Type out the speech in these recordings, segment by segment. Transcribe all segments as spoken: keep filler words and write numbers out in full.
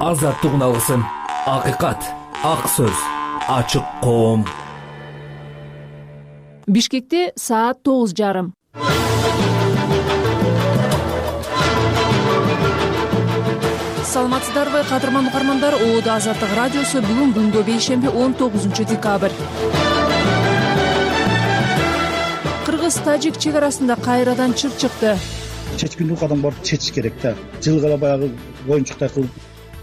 азаттык уналысын, акыйкат, ак сөз, ачык коом. Бишкекте саат тогуз жарым. Саламатсыздарбы, кадырман угармандар. Оодо Азаттык радиосу бүгүн күнгө бейшемби он тогузунчу декабрь. Кыргыз-тажик чек арасында кайрадан чыр чыкты. Чечкиндүү кадам барып чечиш керек да. Жылгала баягы оюнчуктай кылып.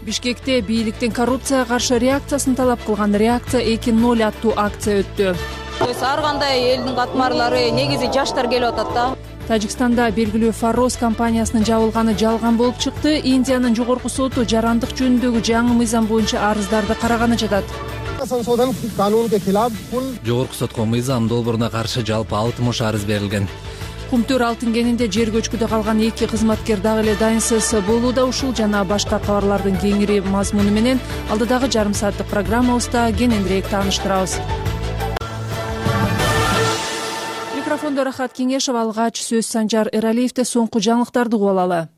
Бишкекте бийликтин коррупцияга каршы реакциясын талап кылган реакция эки ноль аттуу акция өттү. Ар кандай элдин катмарлары негизи жаштар келип атат да. Тажикстанда белгилүү Фарос компаниясынын жабылганы жалган болуп чыкты. Индиянын жогорку соту жарандык жөнүндөгү жаңы мыйзам боюнча арыздарды караганы жатат. Жогорку сотко мыйзам долбооруна каршы жалпы алтымыш арыз берилген. Кумтөр алтын кенинде жер көчкүдө калган эки кызматкер дагы эле дайынсыз болууда. Ушул жана башка кабарлардын кеңири мазмуну менен алдыдагы жарым сааттык программабызда кененирээк тааныштырабыз. Микрофондо Рахат Кеңешов, алгач сөз Санжар Эралиевде. Соңку жаңылыктарды угуп алалы.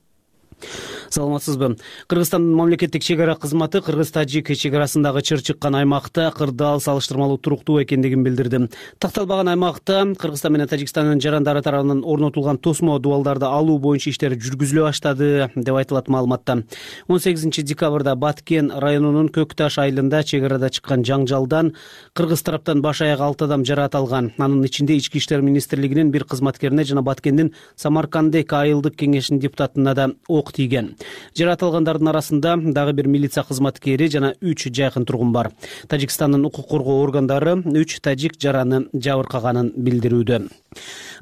Саламатсызбы. Кыргызстандын мамлекеттик чек ара кызматы Кыргыз-Тажик чек арасындагы чыр чыккан аймакта кырдаал салыштырмалуу туруктуу экендигин билдирди. Такталбаган аймакта Кыргызстан менен Тажикстандын жарандары тарабынан орнотулган тосмо дубалдарды алуу боюнча иштер жүргүзүлө баштады деп айтылат маалыматта. он сегизинчи декабрда Баткен районунун Көк Таш айылында чек арада чыккан жаңжалдан кыргыз тараптан баш аяк алты адам жараат алган. Анын ичинде Ички иштер министрлигинин бир кызматкерине жана Баткендин Самаркандек айылдык кеңешинин депутатына да ок тийген. Жараат алгандардын арасында дагы бир милиция кызматкери жана үч жакын тургун бар. Тажикстандын укук коргоо органдары үч тажик жараны жабыркаганын билдирүүдө.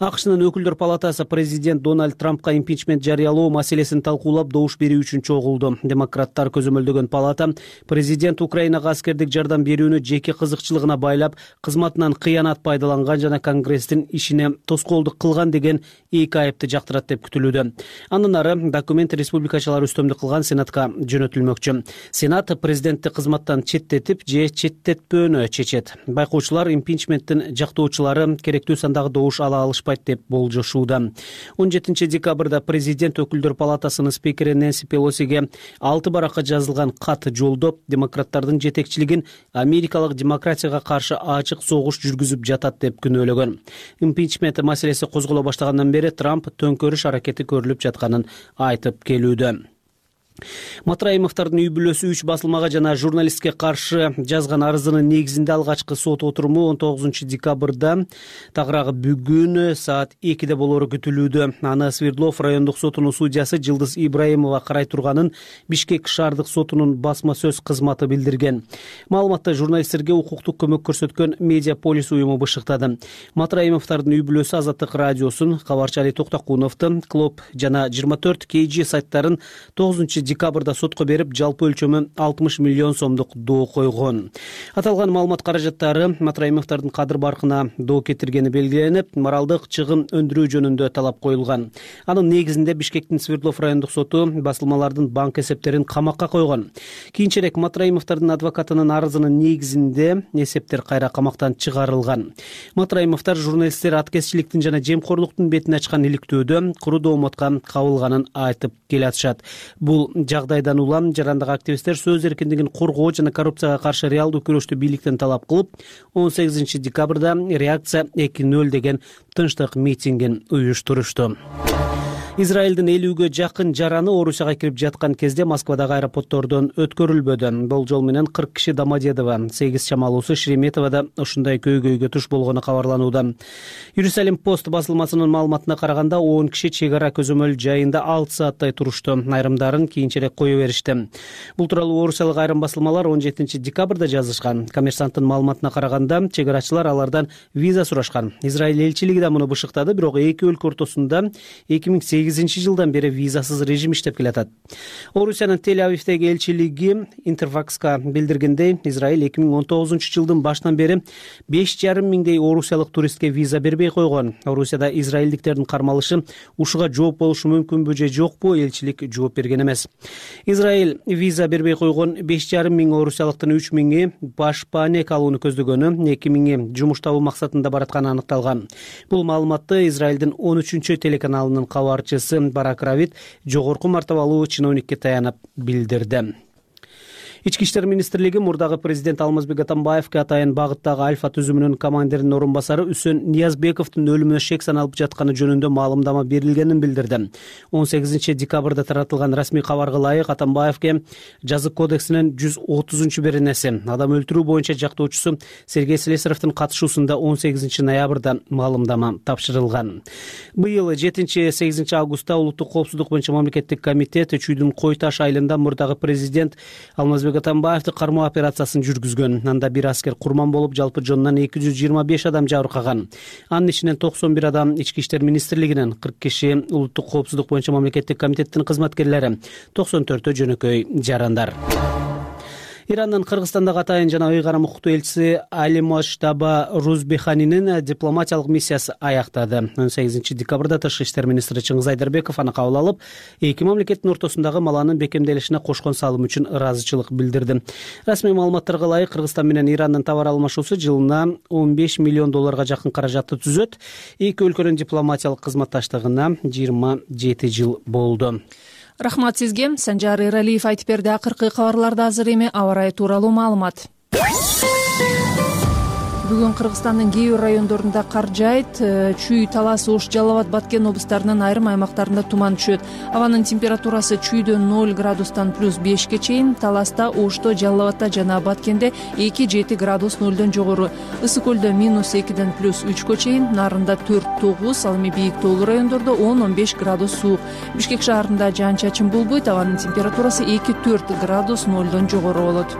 АКШнын өкүлдөр палатасы президент Дональд Трампка импичмент жарыялоо маселесин талкуулап добуш берүү үчүн чогулду. Демократтар көзөмөлдөгөн палата президент Украинага аскердик жардам берүүнү жеке кызыкчылыгына байлап, кызматынан кыянат пайдаланган жана Конгресстин ишине тоскоолдук кылган деген эки айыпты жактырат деп күтүлүүдө. Андан ары документ республикачылар үстөмдүк кылган Сенатка жөнөтүлмөкчү. Сенат президентти кызматтан четтетип же четтетпөөнү чечет. Байкоочулар импичменттин жактоочулары керектүү сандагы добуш ала алышпайт деп болжошууда. он жетинчи декабрда президент өкүлдөр палатасынын спикери Нэнси Пелосиге алты баракка жазылган кат жолдоп, демократтардын жетекчилигин америкалык демократияга каршы ачык согуш жүргүзүп жатат деп күнөөлөгөн. Импичмент маселеси козголо баштагандан бери Трамп төңкөрүш аракети көрүлүп жатканын айтып келүүдө. Матраимовдордун үй бүлөсү үч басылмага жана журналистке каршы жазган арызынын негизинде алгачкы сот отуруму он тогузунчу декабрда тагыраагы бүгүн саат экиде болору күтүлүүдө. Аны Свердлов райондук сотунун судьясы Жылдыз Ибраимова карай турганын Бишкек шаардык сотунун басма сөз кызматы билдирген. Маалыматты журналисттерге укуктук көмөк көрсөткөн Медиаполис уюму бышыктады. Матраимовдордун үй бүлөсү Азаттык радиосун, Кабарчы Али Токтокуновду, Клоп жана жыйырма төрт кей жи сайттарын тогузунчу декабрда сотко берип, жалпы өлчөмү алтымыш миллион сомдук доо койгон. Аталган маалымат каражаттары Матраимовдордун кадыр баркына доо кетиргени белгиленип, моралдык чыгым өндүрүү жөнүндө талап коюлган. Анын негизинде Бишкектин Свердлов райондук соту басылмалардын банк эсептерин камакка койгон. Кийинчерээк Матраимовдордун адвокатынын арызынын негизинде эсептер кайра камактан чыгарылган. Матраимовдор журналисттер аткезчиликтин жана жемкорлуктун бетин ачкан иликтөөдө куру доомотко кабылганын айтып келатышат. Бул жагдайдан улам жарандык активисттер сөз эркиндигин коргоо жана коррупцияга каршы реалдуу күрөштү бийликтен талап кылып, он сегизинчи декабрда реакция эки ноль деген тынчтык митингин уюштурушту. Израилдин элүүгө жакын жараны Орусияга кирип жаткан кезде Москвадагы аэропорттордон өткөрүлбөдү. Болжол менен кырк киши Домодедово, сегиз чамалуусу Шереметоводо ушундай көйгөйгө туш болгону кабарланууда. Иерусалим пост басылмасынын маалыматына караганда он киши чек ара көзөмөл жайында алты сааттай турушту. Айрымдарын кийинчерээк кое беришти. Бул тууралуу орусиялык айрым басылмалар он жетинчи декабрда жазышкан. Коммерсанттын маалыматына караганда чек арачылар алардан виза сурашкан. Израиль элчилиги да муну бышыктады, бирок эки өлкө ортосунда эки миң сегизинчи жылдан бери визасыз режим иштеп келатат. Орусиянын Тель-Авивдеги элчилиги Интерфакска билдиргендей, Израиль эки миң он тогузунчу жылдын башынан бери беш жарым миңдей орусиялык туристке виза бербей койгон. Орусияда израилдиктердин кармалышы ушуга жооп болушу мүмкүнбү же жокпу, элчилик жооп берген эмес. Израиль виза бербей койгон беш жарым миң орусиялыктын үч миңи баш паанек алууну көздөгөнү, эки миңи жумуш табуу максатында баратканы аныкталган. Бул маалыматты Израилдин он үчүнчү телеканалынын кабарчысы Барак Равид жогорку мартабалуу чиновникке таянып билдирди. Ички иштер министрлиги мурдагы президент Алмазбек Атамбаевге атайын багыттагы Альфа түзүмүнүн командиринин орун басары Үсөн Ниязбековдун өлүмүнө шек саналып жатканы жөнүндө маалымдама берилгенин билдирди. он сегизинчи декабрда таратылган расмий кабарга ылайык Атамбаевге жазык кодексинин жүз отузунчу беренеси адам өлтүрүү боюнча жактоочусу Сергей Слесаревдин катышуусунда он сегизинчи ноябрда маалымдама тапшырылган. Быйыл жетинчи сегизинчи августта улуттук коопсуздук боюнча мамлекеттик комитет Чүйдүн Кой Таш айылында мурдагы президент Алмазбек Атамбаевди кармоо операциясын жүргүзгөн. Анда бир аскер курман болуп, жалпы жонунан эки жүз жыйырма беш адам жабыркаган. Анын ичинен токсон бир адам Ички иштер министрлигинен, кырк киши улуттук коопсуздук боюнча мамлекеттик комитеттин кызматкерлери, токсон төртөө жөнөкөй жарандар. Ирандын Кыргызстандагы атайын жана ыйгарым укуктуу элчиси Алимоштаба Рузбеханинин дипломатиялык миссиясы аяктады. он сегизинчи декабрда тышкы иштер министри Чыңгыз Айдарбеков аны кабыл алып, эки мамлекеттин ортосундагы маланын бекемделишине кошкон салым үчүн ыраазычылык билдирди. Расмий маалыматтарга ылайык, Кыргызстан менен Ирандын товар алмашуусу жылына он беш миллион долларга жакын каражатты түзөт. Эки өлкөнүн дипломатиялык кызматташтыгына жыйырма жети жыл болду. Рахмат сизге. Санжар Эралиев айтып берди. Акыркы кабарларда азыр эми аба ырайы тууралуу маалымат. Бүгүн Кыргызстандын кээ бир райондорунда кар жаайт. Чүй, Талас, Ош, Жалал Абад, Баткен облустарынын айрым аймактарында туман түшөт. Абанын температурасы Чүйдө ноль градустан плюс бешке чейин, Таласта, Ошто, Жалал Абадта жана Баткенде эки жети градус нолдон жогору. Ысык көлдө минус экиден плюс үчкө чейин, Нарында төрт тогуз, ал эми бийик тоолуу райондордо он он беш градус суук. Бишкек шаарында жаан-чачын болбойт, абанын температурасы эки төрт градус нолдон жогору болот.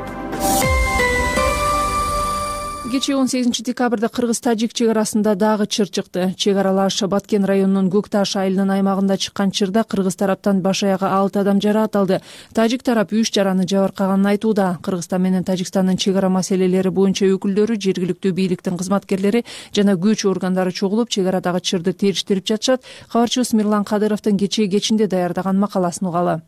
Кечээ он сегизинчи декабрда Кыргыз-Тажик чек арасында дагы чыр чыкты. Чек аралаш Баткен районунун Көк Таш айылынын аймагында чыккан чырда кыргыз тараптан баш аягы алты адам жарааталды. Тажик тарап үч жараны жабыркаганын айтууда. Кыргызстан менен Тажикстандын чек ара маселелери боюнча өкүлдөрү, жергиликтүү бийликтин кызматкерлери жана күч органдары чогулуп, чек арадагы чырды териштирип жатышат. Кабарчыбыз Мирлан Кадыровдун кечээ кечинде даярдаган макаласын угалы.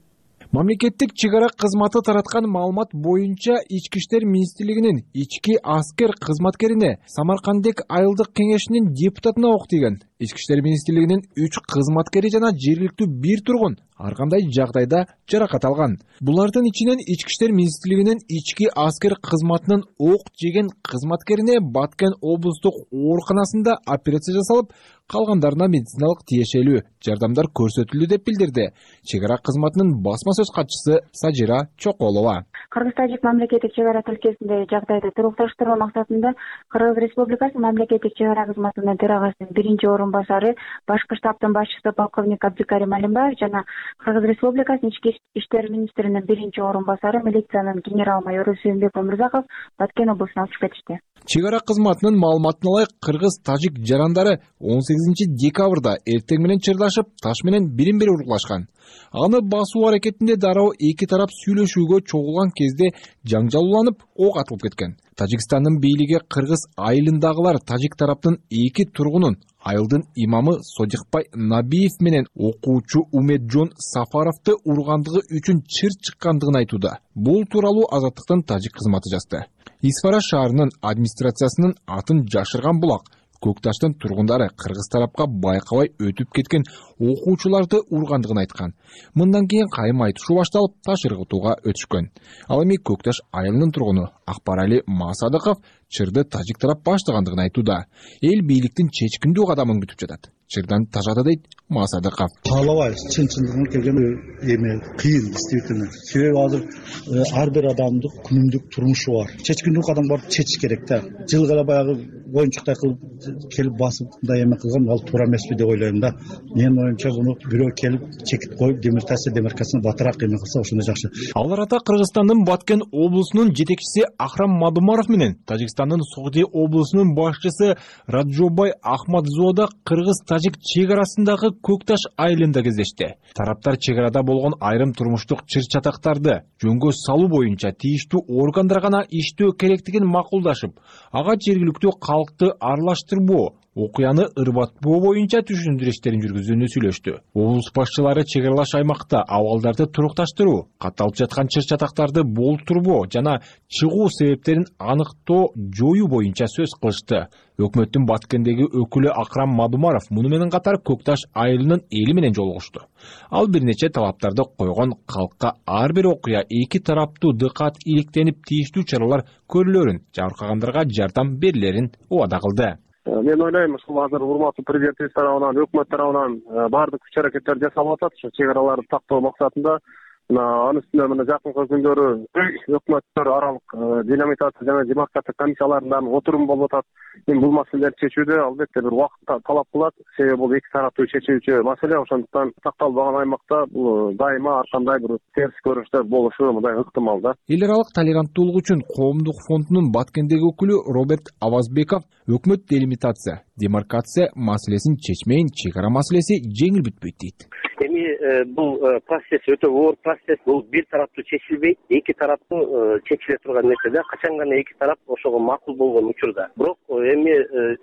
Мамлекеттик чек ара кызматы тараткан маалымат боюнча Ички иштер министрлигинин ички аскер кызматкерине Самаркандек айылдык кеңешинин депутатына ок тийген. Ички иштер министрлигинин үч кызматкери жана жергиликтүү бир тургун ар кандай жагдайда жаракат алган. Булардын ичинен Ички иштер министрлигинин ички аскер кызматынын ок жеген кызматкерине Баткен облустук ооруканасында операция жасалып, калгандарына медициналык тиешелүү жардамдар көрсөтүлдү деп билдирди чек ара кызматынын басма сөз катчысы Сажира Чоколова. Кыргыз-Тажик мамлекеттик чек ара тилкесиндеги жагдайды турукташтыруу максатында Кыргыз Республикасы мамлекеттик чек ара кызматынын төрагасынын биринчи орун басары башкы штабтын башчысы полковник Абдикарим Алимбаев жана Кыргыз Республикасынын ички иштер министринин биринчи орун басары милициянын генерал-майору Сүйүнбек Өмүрзаков Баткен облусуна учуп кетишти. Чек ара кызматынын маалыматына ылайык, Кыргыз-Тажик жарандары он сегизинчи декабрда эртең менен чырдашып, таш менен бирин-бири уруклашкан. Аны басуу аракетинде дароо эки тарап сүйлөшүүгө чогулган кезде жаңжал уланып, ок атылып кеткен. Тажикстандын бийлиги Кыргыз айылындагылар Тажик тараптын эки тургунун, айылдын имамы Содикбай Набиев менен окуучу Умеджон Сафаровду ургандыгы үчүн чыр чыккандыгын айтууда. Бул тууралуу Азаттыктын Тажик кызматы жазды. Исфара шаарынын администрациясынын атын жашырган булак Көк Таштын тургундары кыргыз тарапка байкабай өтүп кеткен окуучуларды ургандыгын айткан. Мындан кийин кайым айтышуу башталып, таш ыргытууга өтүшкөн. Ал эми Көк Таш айылынын тургуну Акбарали Масадыков чырды Тажик тарап баштагандыгын айтууда. Эл бийликтин чечкиндүү кадамын күтүп жатат. Чырдан тажады дейт Масадыков. Каалабайбыз, чын-чындыгына келгенде эми кыйын действительно. Себеби азыр ар бир адамдын күнүмдүк турмушу бар. Чечкиндүү кадам барып чечиш керек да. Жылга эле баягы оюнчуктай кылып келип басып мындай эме кылган ал туура эмеспи деп ойлойм да. Менин оюмча буну бирөө келип чекит коюп демиртация демаркасына батыраак эме кылса ошондой жакшы. Ал арада Кыргызстандын Баткен облусунун жетекчиси Ахрам Мадумаров менен Тажикстандын Согди облусунун башчысы Раджобай Ахмадзода Кыргыз-Тажик чек арасындагы Көк Таш айылында кездешти. Тараптар чек арада болгон айрым турмуштук чыр-чатактарды жөнгө салуу боюнча тийиштүү органдар гана иштөө керектигин макулдашып, ага жергиликтүү калкты аралаштырбоо, окуяны ырбатпоо боюнча түшүндүрүү иштерин жүргүзүүнү сүйлөштү. Облус башчылары чек аралаш аймакта абалдарды турукташтыруу, катталып жаткан чыр-чатактарды болтурбоо жана чыгуу себептерин аныктоо, жоюу боюнча сөз кылышты. Өкмөттүн Баткендеги өкүлү Акрам Мадумаров муну менен катар Көкташ айылынын эли менен жолугушту. Ал бир нече талаптарды койгон, калкка ар бир окуя эки тараптуу дыкат иликтенип тийиштүү чаралар көрүлөрүн, жабыркагандарга жардам берилерин убада кылды. Мен ойлойм, ушул азыр урматтуу президентибиз тарабынан, өкмөт тарабынан баардык күч-аракеттер жасалып атат, ушу чек араларды тактоо максатында. Анын үстүнө мына жакынкы күндөрү өкмөттөр аралык делимитация жана демаркация комиссияларынын отуруму болуп атат. Эми бул маселелерди чечүүдө албетте бир убакыт талап кылат. Себеби бул эки тараптуу чечүүчү маселе, ошондуктан такталбаган аймакта бул дайыма ар кандай бир терс көрүнүштөр болушу мындай ыктымал да. Эл аралык толеранттуулук үчүн коомдук фондунун Баткендеги өкүлү Роберт Авазбеков өкмөт делимитация, демаркация маселесин чечмейин, чек ара маселеси жеңил бүтпөйт дейт. Эми бул процесс өтө оор процесс, бул бир тараптуу чечилбейт, эки тараптуу чечиле турган нерсе да, качан гана эки тарап ошого макул болгон учурда. Бирок эми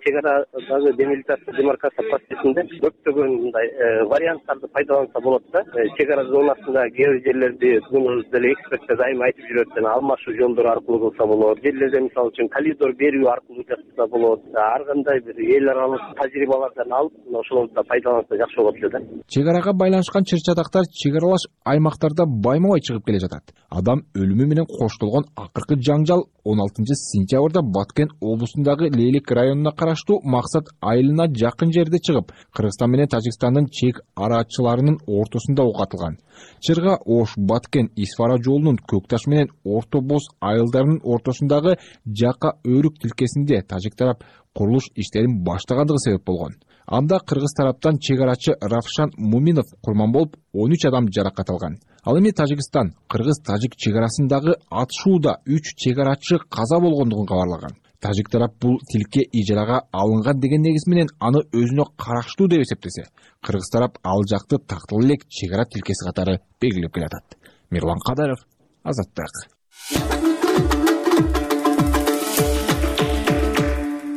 чек арадагы демилитация, демаркация процессинде көптөгөн мындай варианттарды пайдаланса болот да. Чек ара зонасында кээ бир жерлерди муну деле эксперттер дайыма айтып жүрөт, жана алмашуу жолдору аркылуу кылса болот. Жерлерде мисалы үчүн коридор берүү аркылуу жасаса болот. Ар кандай бир эл аралык тажрыйбалардан алып, ошолорду пайдаланса жакшы болот эле да. Чек арага байланышкан чыр-чатактар чек аралаш аймактарда байма-бай чыгып келе жатат. Адам өлүмү менен коштолгон акыркы жаңжал он алтынчы сентябрда Баткен облусундагы Лейлик районуна караштуу Максат айылына жакын жерде чыгып, Кыргызстан менен Тажикстандын чек арачыларынын ортосунда ок атылган. Чырга Ош Баткен Исфара жолунун Көкташ менен Орто Боз айылдарынын ортосундагы жака өрүк тилкесинде тажик тарап курулуш иштерин баштагандыгы себеп болгон. Анда кыргыз тараптан чек арачы Равшан Муминов курман болуп, он үч адам жаракат алган. Ал эми Тажикстан кыргыз-тажик чек арасындагы атышууда үч чек арачы каза болгондугун кабарлаган. Тажик тарап бул тилке ижарага алынган деген негиз менен аны өзүнө караштуу деп эсептесе, кыргыз тарап ал жакты тактыл элек чек ара тилкеси катары белгилеп келатат. Мирлан Кадаров, Азаттык.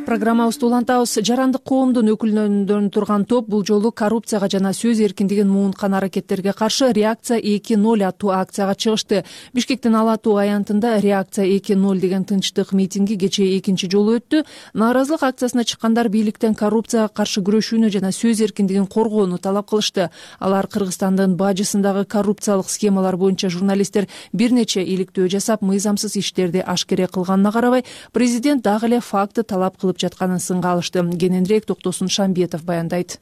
Программабызды улантабыз. Жарандык коомдун өкүлдөрүнөн турган топ бул жолу коррупцияга жана сөз эркиндигин муунткан аракеттерге каршы реакция эки ноль аттуу акцияга чыгышты. Бишкектин Ала Тоо аянтында реакция эки ноль деген тынчтык митинги кечээ экинчи жолу өттү. Нааразылык акциясына чыккандар бийликтен коррупцияга каршы күрөшүүнү жана сөз эркиндигин коргоону талап кылышты. Алар Кыргызстандын бажысындагы коррупциялык схемалар боюнча журналисттер бир нече иликтөө жасап, мыйзамсыз иштерди ашкере кылганына карабай, президент дагы эле факты талап кылып жатканын сынга алышты. Кененирээк Токтосун Шамбетов баяндайт.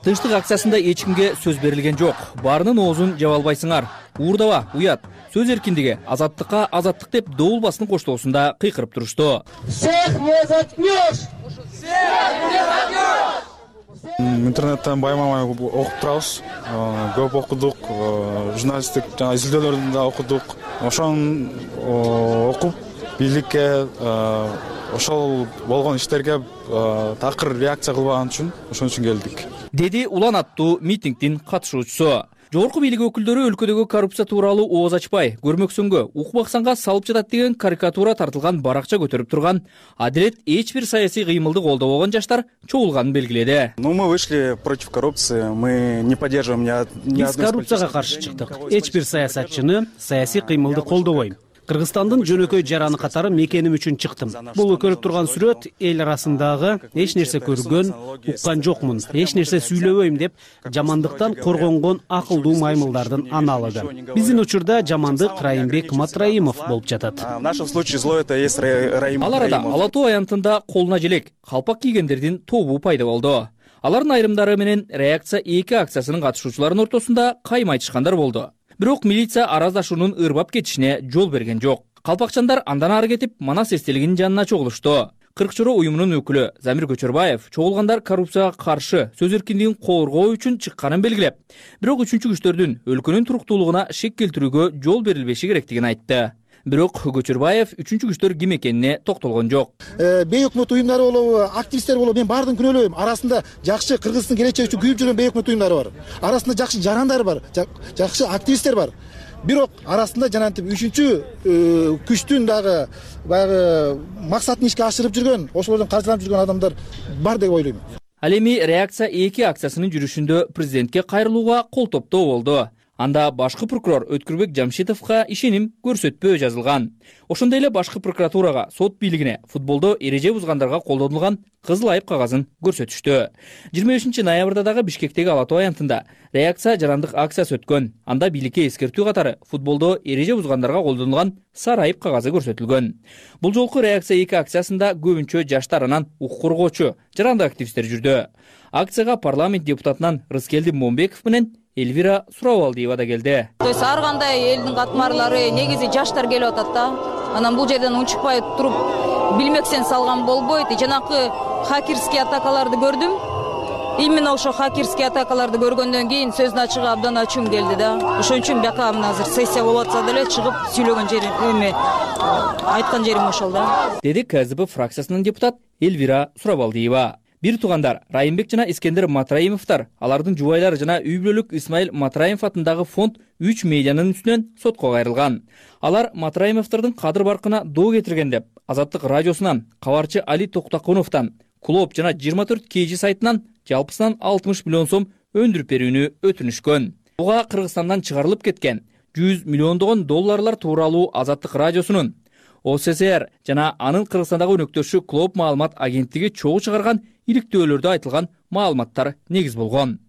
Тынчтык акциясында эч кимге сөз берилген жок. Баарынын оозун жаба албайсыңар. Уурдаба, уят. Сөз эркиндиги, азаттыкка азаттык деп доул басынын коштоосунда кыйкырып турушту. Всех не заткнешь! Всех не заткнешь! Интернеттен байма-бай окуп турабыз. Көп окудук, журналисттик жана изилдөөлөрдү да окудук. Ошон окуп бийликке ошол болгон иштерге такыр реакция кылбаган үчүн ошон үчүн келдик. Деди Улан аттуу митингдин катышуучусу. Жогорку бийлик өкүлдөрү өлкөдөгү коррупция тууралуу ооз ачпай, көрмөксөнгө, укмаксанга салып жатат деген карикатура тартылган баракча көтөрүп турган, адилет эч бир саясий кыймылды колдобогон жаштар чогулганын белгиледи. Ну, мы вышли против коррупции, мы не поддерживаем ни одной. Биз коррупцияга каршы чыктык. Эч бир саясатчыны, саясий кыймылды колдобойм. Кыргызстандын жөнөкөй жараны катары мекеним үчүн чыктым. Бул көрүп турган сүрөт эл арасындагы эч нерсе көргөн, уккан жокмун, эч нерсе сүйлөбөйм деп жамандыктан коргонгон акылдуу маймылдардын аналыгы. Биздин учурда жамандык Райымбек Матраимов болуп жатат. В нашем случае зло это есть Раим. Ал арада Ала Тоо аянтында колуна желек, калпак кийгендердин тобу пайда болду. Алардын айрымдары менен реакция эки акциясынын катышуучуларынын ортосунда кайма айтышкандар болду. Бирок милиция араздашуунун ырбап кетишине жол берген жок. Калпакчандар андан ары кетип Манас эстелигинин жанына чогулушту. Кырк чоро уюмунун өкүлү Замир Көчөрбаев чогулгандар коррупцияга каршы сөз эркиндигин коргоо үчүн чыкканын белгилеп, бирок үчүнчү күчтөрдүн өлкөнүн туруктуулугуна шек келтирүүгө жол берилбеши керектигин айтты. Бирок Көчөрбаев үчүнчү күчтөр ким экенине токтолгон жок. Бейөкмөт уюмдары болобу, активисттер болобу, мен баардыгын күнөөлөйм. Арасында жакшы Кыргыздын келечеги үчүн күйүп жүргөн бейөкмөт уюмдары бар. Арасында жакшы жарандар бар, жакшы активисттер бар. бирок арасында жанагынтип үчүнчү күчтүн дагы баягы максатын ишке ашырып жүргөн, ошолордон каржыланып жүргөн адамдар бар деп ойлойм. Ал эми реакция эки акциясынын жүрүшүндө президентке кайрылууга кол топтоо болду. Анда башкы прокурор Өткүрбек Жамшитовго ишеним көрсөтпөө жазылган. Ошондой эле башкы прокуратурага сот бийлигине футболдо эреже бузгандарга колдонулган кызыл айып кагазын көрсөтүштү. жыйырма бешинчи ноябрда дагы Бишкектеги Ала Тоо аянтында реакция жарандык акциясы өткөн. Анда бийликке эскертүү катары футболдо эреже бузгандарга колдонулган сары айып кагазы көрсөтүлгөн. Бул жолку реакция эки акциясында көбүнчө жаштар анан укук коргоочу жарандык активисттер жүрдү. Акцияга парламент депутатынан Рыскелди Момбеков менен Эльвира Сурабалдиева да келди. То есть ар кандай элдин катмарлары негизи жаштар келип атат да. Анан бул жерден унчукпай туруп билмексен салган болбойт. Жанакы хакерский атакаларды көрдүм. Именно ошо хакерский атакаларды көргөндөн кийин сөздүн ачыгы абдан ачуум келди да. Ошон үчүн бияка мына азыр сессия болуп атса деле чыгып сүйлөгөн жерим эме айткан жерим ошол да. Деди КСДП фракциясынын депутат Эльвира Сурабалдиева. Бир туугандар Райымбек жана Искендер Матраимовдор, алардын жубайлары жана үй бүлөлүк Исмаил Матраимов атындагы фонд үч медианын үстүнөн сотко кайрылган. Алар Матраимовдордун кадыр баркына доо кетирген деп Азаттык радиосунан, кабарчы Али Токтакуновдон, Клоп жана жыйырма төрт кей жи сайтынан жалпысынан алтымыш миллион сом өндүрүп берүүнү өтүнүшкөн. Буга Кыргызстандан чыгарылып кеткен жүз миллиондогон долларлар тууралуу Азаттык радиосунун О С С Р жана анын Кыргызстандагы өнөктөшү Клоп маалымат агенттиги чогуу чыгарган иликтөөлөрдө айтылган маалыматтар негиз болгон.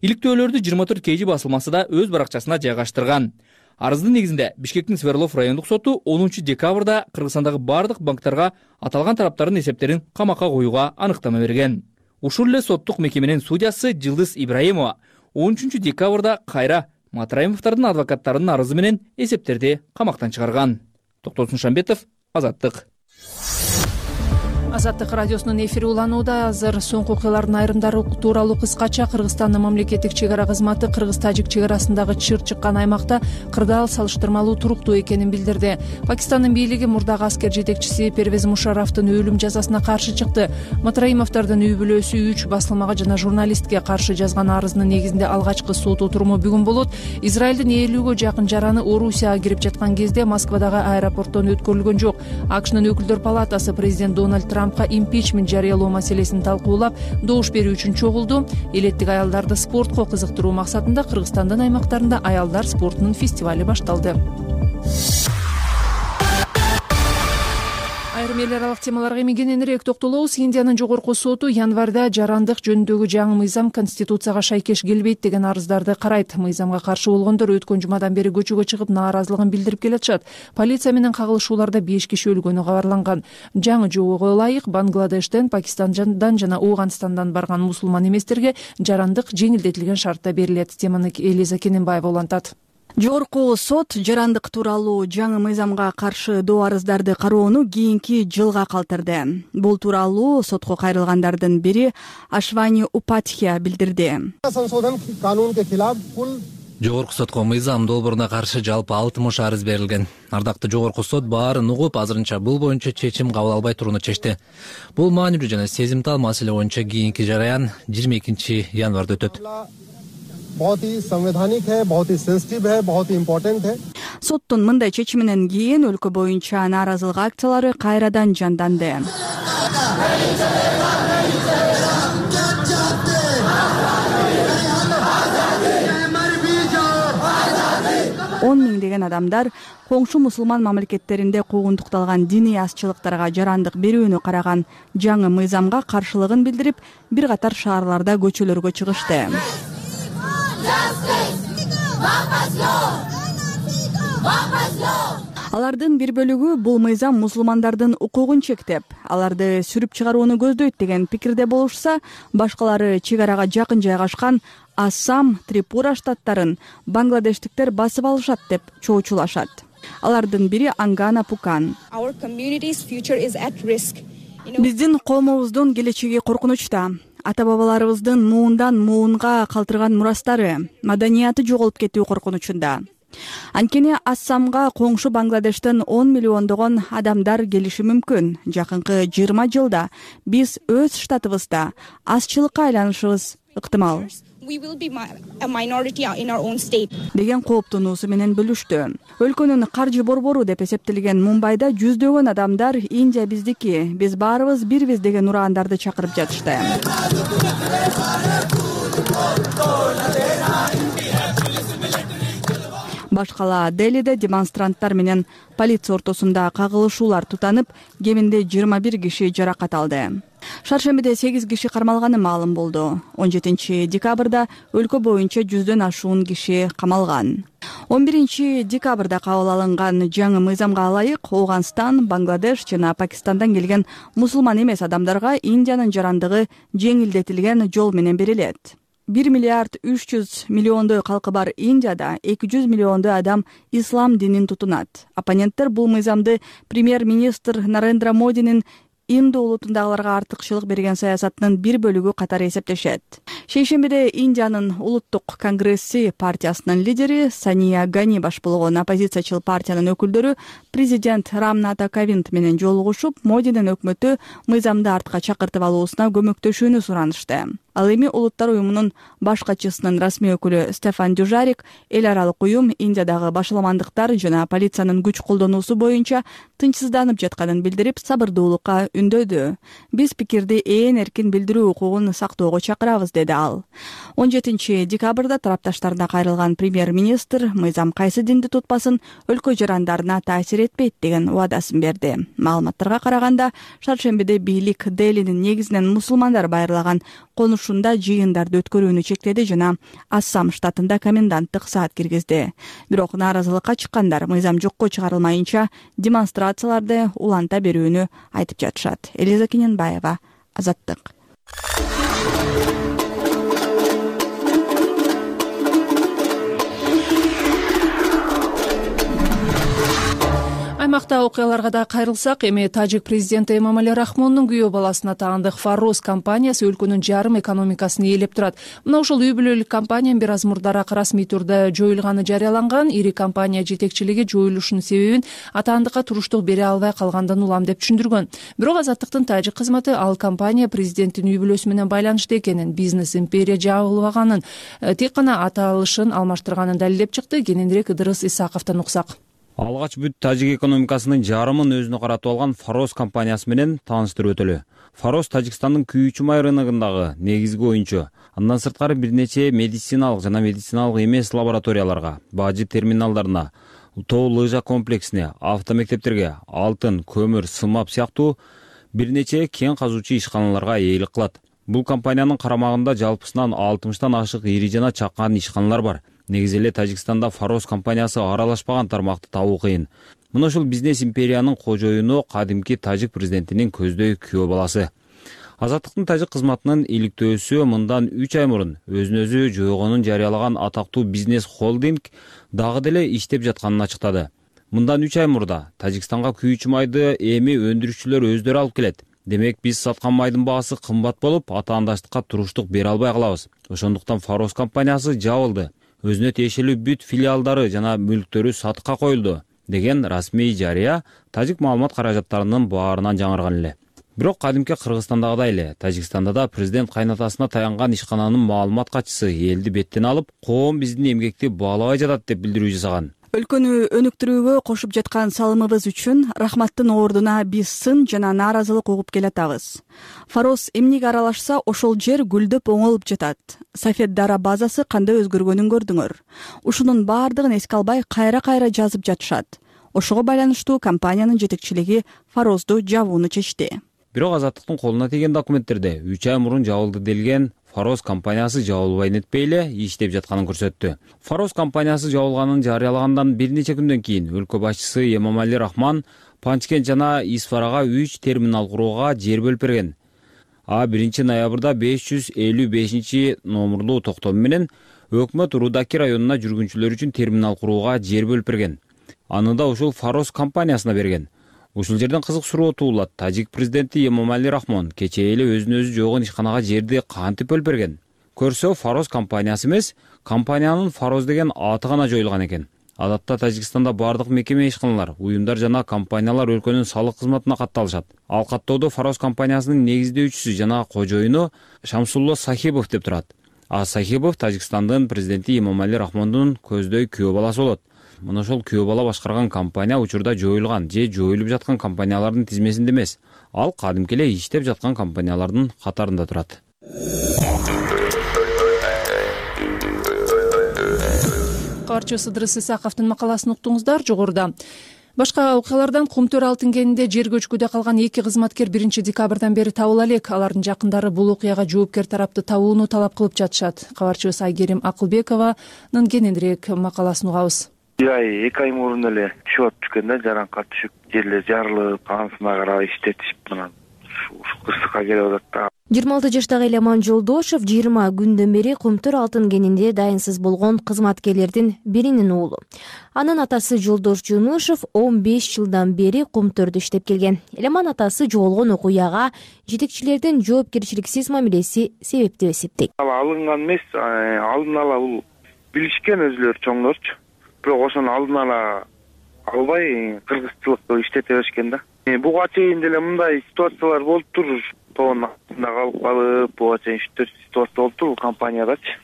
Иликтөөлөрдү жыйырма төрт кей жи басылмасы да өз баракчасына жайгаштырган. Арыздын негизинде Бишкектин Сверлов райондук соту онунчу декабрда Кыргызстандагы бардык банктарга аталган тараптардын эсептерин камакка коюуга аныктама берген. Ушул эле соттук мекеменин судьясы Жылдыз Ибраимова он үчүнчү декабрда кайра Матраимовдордун адвокаттарынын арызы менен эсептерди камактан чыгарган. Токтосун Шамбетов, Азаттык. Азаттык радиосунун эфири уланууда. Азыр соңку окуялардын айрымдары тууралуу кыскача. Кыргызстандын мамлекеттик чек ара кызматы Кыргыз-Тажик чек арасындагы чыр чыккан аймакта кырдаал салыштырмалуу туруктуу экенин билдирди. Пакистандын бийлиги мурдагы аскер жетекчиси Первез Мушарафтын өлүм жазасына каршы чыкты. Матраимовдордун үй бүлөсү үч басылмага жана журналистке каршы жазган арызынын негизинде алгачкы сот отуруму бүгүн болот. Израилдин элүүгө жакын жараны Орусияга кирип жаткан кезде Москвадагы аэропорттон өткөрүлгөн жок. АКШнын өкүлдөр палатасы президент Дональд Трампка импичмент жарыялоо маселесин талкуулап, добуш берүү үчүн чогулду. Элеттик аялдарды спортко кызыктыруу максатында Кыргызстандын аймактарында аялдар спортунун фестивали башталды. Айрым эл аралык темаларга эми кененирээк токтолобуз. Индиянын жогорку соту январда жарандык жөнүндөгү жаңы мыйзам конституцияга шайкеш келбейт деген арыздарды карайт. Мыйзамга каршы болгондор өткөн жумадан бери көчөгө чыгып нааразылыгын билдирип келатышат. Полиция менен кагылышууларда беш киши өлгөнү кабарланган. Жаңы жобого ылайык Бангладештен, Пакистандан жана Ооганстандан барган мусулман эместерге жарандык жеңилдетилген шартта берилет. Теманы Элиза Кененбаева улантат. Жогорку сот жарандык тууралуу жаңы мыйзамга каршы доо арыздарды кароону кийинки жылга калтырды. Бул тууралуу сотко кайрылгандардын бири Ашвани Упатхия билдирди. Жогорку сотко мыйзам долбооруна каршы жалпы алтымыш арыз берилген. Ардактуу жогорку сот баарын угуп, азырынча бул боюнча чечим кабыл албай турууну чечти. Бул маанилүү жана сезимтал маселе боюнча кийинки жараян жыйырма экинчи январда өтөт. बहुत ही संवैधानिक है, बहुत ही सेंसिटिव है, बहुत ही इम्पोर्टेंट है. Соттун мындай чечиминен кийин өлкө боюнча нааразылык акциялары кайрадан жанданды. он миңдеген адамдар коңшу мусулман мамлекеттеринде куугунтукталган диний азчылыктарга жарандык берүүнү караган жаңы мыйзамга каршылыгын билдирип, бир катар шаарларда көчөлөргө чыгышты. Алардын бир бөлүгү бул мыйзам мусулмандардын укугун чектеп, аларды сүрүп чыгарууну көздөйт деген пикирде болушса, башкалары чек арага жакын жайгашкан Ассам, Трипура штаттарын бангладештиктер басып алышат деп чоочулашат. Алардын бири Ангана Пукан. Биздин коомубуздун келечеги коркунучта. Ата-бабаларыбыздын муундан муунга калтырган мурастары, маданияты жоголуп кетүү коркунучунда. Анткени Ассамга коңшу Бангладештен он миллиондогон адамдар келиши мүмкүн. Жакынкы жыйырма жылда биз өз штатыбызда азчылыкка айланышыбыз ыктымал. деген кооптонуусу менен бөлүштү. Өлкөнүн каржы борбору деп эсептелген Мумбайда жүздөгөн адамдар Индия биздики, биз баарыбыз бирбиз деген ураандарды чакырып жатышты. Башкала Делиде демонстранттар менен полиция ортосунда кагылышуулар тутанып, кеминде жыйырма бир киши жаракат алды. Шаршембиде сегиз киши кармалганы маалым болду. он жетинчи декабрда өлкө боюнча жүздөн ашуун киши камалган. он биринчи декабрда кабыл алынган жаңы мыйзамга ылайык Ооганстан, Бангладеш жана Пакистандан келген мусулман эмес адамдарга Индиянын жарандыгы жеңилдетилген жол менен берилет. бир миллиард үч жүз миллиондой калкы бар Индияда эки жүз миллиондой адам ислам динин тутунат. Оппоненттер бул мыйзамды премьер-министр Нарендра Модинин Инду улутундагыларга артыкчылык берген саясатынын бир бөлүгү катары эсептешет. Шейшембиде Индиянын улуттук конгресси партиясынын лидери Сания Гани баш болгон оппозициячыл партиянын өкүлдөрү президент Рамната Ковинд менен жолугушуп, Модинин өкмөтү мыйзамды артка чакыртып алуусуна көмөктөшүүнү суранышты. Ал эми Улуттар уюмунун баш катчысынын расмий өкүлү Стефан Дюжарик эл аралык уюм Индиядагы башаламандыктар жана полициянын күч колдонуусу боюнча тынчсызданып жатканын билдирип, сабырдуулукка үндөдү. Биз пикирди ээн эркин билдирүү укугун сактоого чакырабыз, деди ал. он жетинчи декабрда тарапташтарына кайрылган премьер-министр мыйзам кайсы динди тутпасын өлкө жарандарына таасир этпейт деген убадасын берди. Маалыматтарга караганда, шаршембиде бийлик Делинин негизинен мусулмандар байырлаган конушунда жыйындарды өткөрүүнү чектеди жана Ассам штатында коменданттык саат киргизди. Бирок нааразылыкка чыккандар мыйзам жокко чыгарылмайынча демонстрацияларды уланта берүүнү айтып жатышат. Элиза Кененбаева, Азаттык. Аймакта окуяларга да кайрылсак, эми тажик президенти Эмомали Рахмондун күйөө баласына таандык Фароз компаниясы өлкөнүн жарым экономикасын ээлеп турат. Мына ошол үй бүлөлүк компания бир аз мурдараак расмий түрдө жоюлганы жарыяланган. Ири компания жетекчилиги жоюлушунун себебин атаандыкка туруштук бере албай калгандан улам деп түшүндүргөн. Бирок Азаттыктын тажик кызматы ал компания президенттин үй бүлөсү менен байланыштуу экенин, бизнес империя жабылбаганын, тек гана аталышын алмаштырганын далилдеп чыкты. Кененирээк Ыдырыс Исаковдон уксак. Алгач бүт тажик экономикасынын жарымын өзүнө каратып алган Фароз компаниясы менен тааныштырып өтөлү. Фароз Тажикстандын күйүүчү май рыногундагы негизги оюнчу. Андан сырткары бир нече медициналык жана медициналык эмес лабораторияларга, бажы терминалдарына, тоо лыжа комплексине, автомектептерге, алтын, көмүр, сымап сыяктуу бир нече кен казуучу ишканаларга ээлик кылат. Бул компаниянын карамагында жалпысынан алтымыштан ашык ири жана чакан ишканалар бар. Негизи эле Тажикстанда Фароз компаниясы аралашпаган тармакты табуу кыйын. Мына ушул бизнес империянын кожоюну кадимки тажик президентинин көздөй күйөө баласы. Азаттыктын тажик кызматынын иликтөөсү мындан үч ай мурун өзүн өзү жойгонун жарыялаган атактуу бизнес холдинг дагы деле иштеп жатканын ачыктады. Мындан үч ай мурда Тажикстанга күйүүчү майды эми өндүрүүчүлөр өздөрү алып келет. Демек биз саткан майдын баасы кымбат болуп, атаандаштыкка туруштук бере албай калабыз. Ошондуктан Фароз компаниясы жабылды. Өзүнө тиешелүү бүт филиалдары жана мүлктөрү сатыкка коюлду деген расмий жарыя тажик маалымат каражаттарынын баарынан жаңырган эле. Бирок кадимки Кыргызстандагыдай эле Тажикстанда да президент кайнатасына таянган ишкананын маалымат катчысы элди беттен алып, коом биздин эмгекти баалабай жатат деп билдирүү жасаган. Өлкөнү өнүктүрүүгө кошуп жаткан салымыбыз үчүн рахматтын ордуна биз сын жана нааразылык угуп келатабыз. Фароз эмнеге аралашса, ошол жер гүлдөп оңолуп жатат. Сафед Дара базасы кандай өзгөргөнүн көрдүңөр. Ушунун баардыгын эске албай кайра-кайра жазып жатышат. Ошого байланыштуу компаниянын жетекчилиги Фарозду жабууну чечти. Бирок Азаттыктын колуна тийген документтерде үч ай мурун жабылды делген Фароз компаниясы жабылбай нетпей эле иштеп жатканын көрсөттү. Фароз компаниясы жабылганын жарыялагандан бир нече күндөн кийин өлкө башчысы Эмомали Рахмон Панчкент жана Исфарага үч терминал курууга жер бөлүп берген. А биринчи ноябрда беш жүз элүү бешинчи номурлуу токтом менен өкмөт Рудаки районуна жүргүнчүлөр үчүн терминал курууга жер бөлүп берген. Аны да ушул Фароз компаниясына берген. Ушул жерден кызык суроо туулат. Тажик президенти Эмомали Рахмон кечээ эле өзүнө өзү жойгон ишканага жерди кантип бөлүп берген? Көрсө, Фароз компаниясы эмес, компаниянын Фароз деген аты гана жоюлган экен. Адатта Тажикстанда бардык мекеме ишканалар, уюмдар жана компаниялар өлкөнүн салык кызматына катталышат. Ал каттоодо Фароз компаниясынын негиздөөчүсү жана кожоюну Шамсулло Сахибов деп турат. А Сахипов Тажикстандын президенти Имомали Рахмондун көздөй күйөө баласы болот. Мына ошол күйөө бала башкарган компания учурда жоюлган же жоюлуп жаткан компаниялардын тизмесинде эмес. Ал кадимки эле иштеп жаткан компаниялардын катарында турат. Кабарчы Сыдырыс Исаковдун макаласын уктуңуздар. Жогоруда башка окуялардан Кумтөр алтын кенинде жер көчкүдө калган эки кызматкер биринчи декабрдан бери табыла элек. Алардын жакындары бул окуяга жоопкер тарапты табууну талап кылып жатышат. Кабарчыбыз Айгерим Акылбекованын кененирээк макаласын угабыз. Ай эки ай мурун эле түшүп атышкан да, жаранка түшүп, жерлер жарылып, анысына карабай иштетишип анан ушу кырсыкка келип атат да. жыйырма алты жаштагы Элеман Жолдошов жыйырма күндөн бери Кумтөр алтын кенинде дайынсыз болгон кызматкерлердин биринин уулу. Анын атасы Жолдош Жунушев он беш жылдан бери Кумтөрдө иштеп келген. Элеман атасы жоголгон окуяга жетекчилердин жоопкерчиликсиз мамилеси себеп деп эсептейт. Алынган эмес, алдын ала бул билишкен өзүлөрү чоңдорчу. Бирок ошону алдын ала албай кыргызчылыкты иштете беришкен да. Буга чейин деле мындай ситуациялар болуптур. Тоонун астында калып калып, буга чейин үч төрт ситуация болуптур компаниядачы.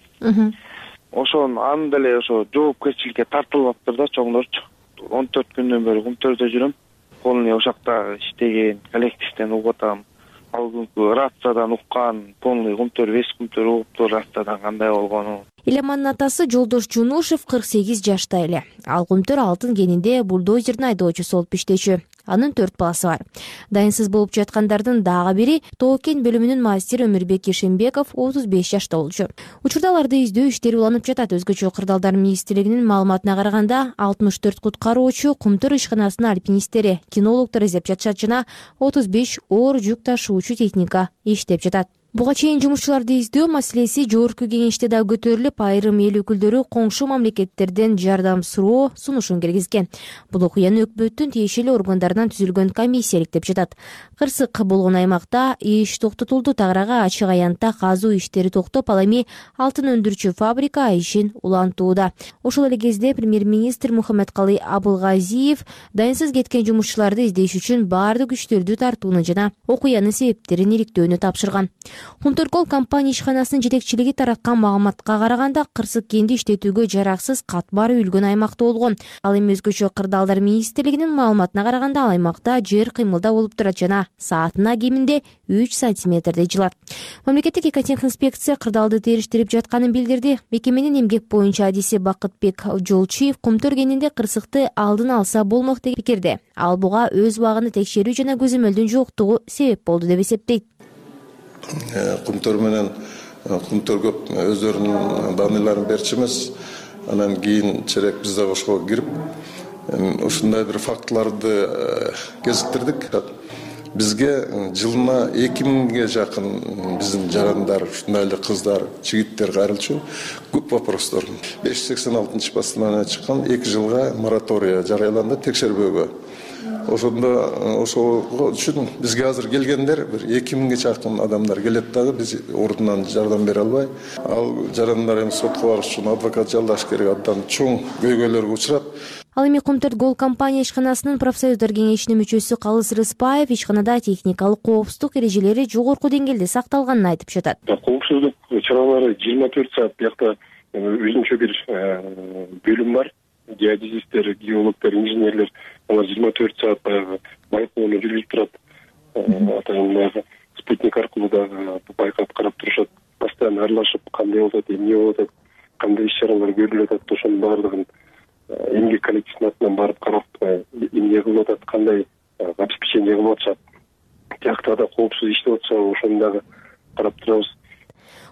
Ошон аны деле ошо жоопкерчиликке тартылыптыр да чоңдорчу. он төрт күндөн бери Кумтөрдө жүрөм. Полный ошакта иштеген коллективден угуп атам. Ал күнкү рациядан уккан, полный Кумтөр, весь Кумтөр угуптур рациядан кандай болгону. Элемандын атасы Жолдош Жунушев кырк сегиз жашта эле. Ал Кумтөр алтын кенинде бульдозердин айдоочусу болуп иштечү. Анын төрт баласы бар. Дайынсыз болуп жаткандардын дагы бири Тоо-кен бөлүмүнүн мастери Өмүрбек Ишембеков отуз беш жашта болчу. Учурда аларды издөө иштери уланып жатат. Өзгөчө кырдаалдар министрлигинин маалыматына караганда алтымыш төрт куткаруучу, Кумтөр ишканасынын альпинисттери, кинологдор издеп жатышат жана отуз беш оор жүк ташуучу техника иштеп жатат. Буга чейин жумушчуларды издөө маселеси жогорку кеңеште да көтөрүлүп, айрым эл өкүлдөрү коңшу мамлекеттерден жардам суроо сунушун киргизген. Бул окуяны өкмөттүн тиешелүү органдарынан түзүлгөн комиссия иликтеп жатат. Кырсык болгон аймакта иш токтотулду. Тагырага ачык аянтта казуу иштери токтоп, ал эми алтын өндүрүүчү фабрика ишин улантууда. Ошол эле кезде премьер-министр Мухаммедкалый Абылгазиев дайынсыз кеткен жумушчуларды издеш үчүн баардык күчтөрдү тартууну жана окуянын себептерин иликтөөнү тапшырган. Кумтөркол компания ишканасынын жетекчилиги тараткан маалыматка караганда, кырсык кенди иштетүүгө жараксыз катмар үйүлгөн аймакта болгон. Ал эми өзгөчө кырдаалдар министрлигинин маалыматына караганда, ал аймакта жер кыймылда болуп турат жана саатына кеминде үч сантиметрдей жылат. Мамлекеттик экотехинспекция кырдаалды териштирип жатканын билдирди. Мекеменин эмгек боюнча адиси Бакытбек Жолчиев Кумтөр кенинде кырсыкты алдын алса болмок деген пикирде. Ал буга өз убагында текшерүү жана көзөмөлдүн жоктугу себеп болду деп эсептейт. Кумтөр менен Кумтөр көп өздөрүнүн даныйларын берчү эмес. Анан кийин черек биз да ошого кирип, ушундай бир фактыларды кезиктирдик. Бизге жылына эки миңге жакын биздин жарандар, ушундай эле кыздар, жигиттер кайрылчу. Көп вопростор. беш жүз сексен алтынчы постановление чыккан, эки жылга моратория жарыяланды текшербөөгө. Ошондо ошого үчүн бизге азыр келгендер бир эки миңге жакын адамдар келет дагы, биз ордунан жардам бере албай. Ал жарандар эми сотко барыш үчүн адвокат жалдаш керек, абдан чоң көйгөйлөргө учурат. Ал эми Кумтөр Гол компания ишканасынын профсоюздар кеңешинин мүчөсү Калыс Рыспаев ишканада техникалык коопсуздук эрежелери жогорку деңгээлде сакталганын айтып жатат. Коопсуздук чаралары жыйырма төрт саат биякта өзүнчө бир бөлүм бар. Геодезисттер, геологдор, инженерлер алар жыйырма төрт саат баягы байкоону жүргүзүп турат. Атайын баягы спутник аркылуу да байкап карап турушат. Постоянно аралашып, кандай болуп атат, эмне болуп атат, кандай иш-чаралар көрүлүп атат, ошонун баардыгын эмгек коллективинин атынан барып карап, эмне кылып атат, кандай обеспечение кылып атышат. Тиякта да коопсуз иштеп атса, ошону дагы карап турабыз.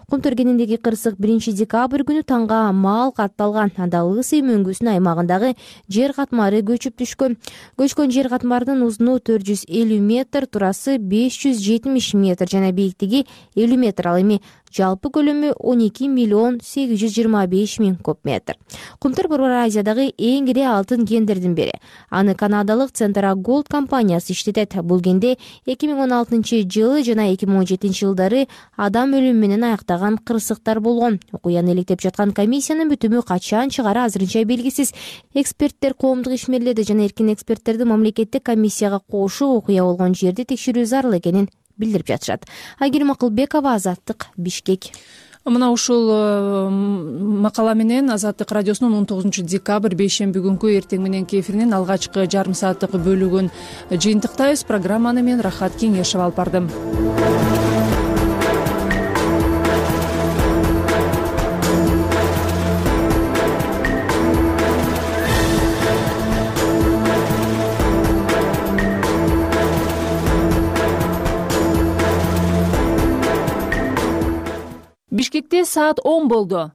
Кумтөр кениндеги кырсык биринчи декабрь күнү таңга маал катталган. Анда Лысый мөңгүсүнүн аймагындагы жер катмары көчүп түшкөн. Көчкөн жер катмарынын узуну төрт жүз элүү метр, турасы беш жүз жетимиш метр жана бийиктиги элүү метр. Ал эми жалпы көлөмү он эки миллион сегиз жүз жыйырма беш миң куб метр. Кумтөр Борбор Азиядагы эң ири алтын кендердин бири. Аны канадалык Центра Голд компаниясы иштетет. Бул кенде эки миң он алтынчы жылы жана эки миң он жетинчи жылдары адам өлүмү менен аяктаган кырсыктар болгон. Окуяны иликтеп жаткан комиссиянын бүтүмү качан чыгары азырынча белгисиз. Эксперттер коомдук ишмерлерди жана эркин эксперттерди мамлекеттик комиссияга кошуп, окуя болгон жерди текшерүү зарыл экенин билдирип жатышат. Айгерим Акылбекова, Азаттык, Бишкек. мына ушул макала менен Азаттык радиосунун он тогузунчу декабрь бейшемби күнкү эртең мененки эфиринин алгачкы жарым сааттык бөлүгүн жыйынтыктайбыз. Программаны мен Рахат Кеңешев алып бардым. Бишкекте саат он болду.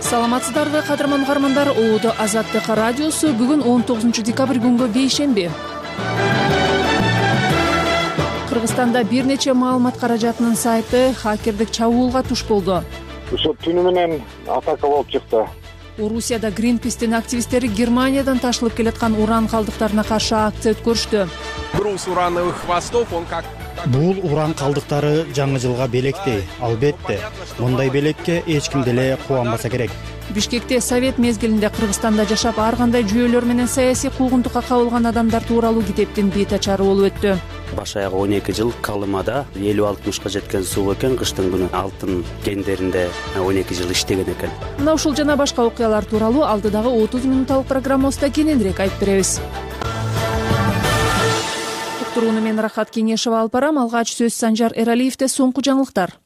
Саламатсыздарбы, кадырман угармандар. Оодо Азаттык радиосу. Бүгүн он тогузунчу декабрь күнгө бейшемби. Кыргызстанда бир нече маалымат каражатынын сайты хакердик чабуулга туш болду. Ошо түнү менен атака болуп чыкты. Орусияда Greenpeace'тин активисттери Германиядан ташылып келаткан уран калдыктарына каршы акция өткөрүштү. Груз урановых хвостов, он как... Бул уран калдыктары жаңы жылга белектей. Албетте, мындай белекке эч ким деле кубанбаса керек. Бишкекте совет мезгилинде Кыргызстанда жашап ар кандай жүйөлөр менен саясий куугунтукка кабылган адамдар тууралуу китептин бет ачары болуп өттү. Баш аягы он эки жыл Калымада элүү алтымышка жеткен суу экен, кыштын күнү алтын кендеринде он эки жыл иштеген экен. Мына ушул жана башка окуялар тууралуу алдыдагы отуз мүнөттүк программабызда кененирээк айтып беребиз. Уктурууну мен Рахат Кеңешев алып барам. Алгач сөз Санжар Эралиевде. Соңку жаңылыктар.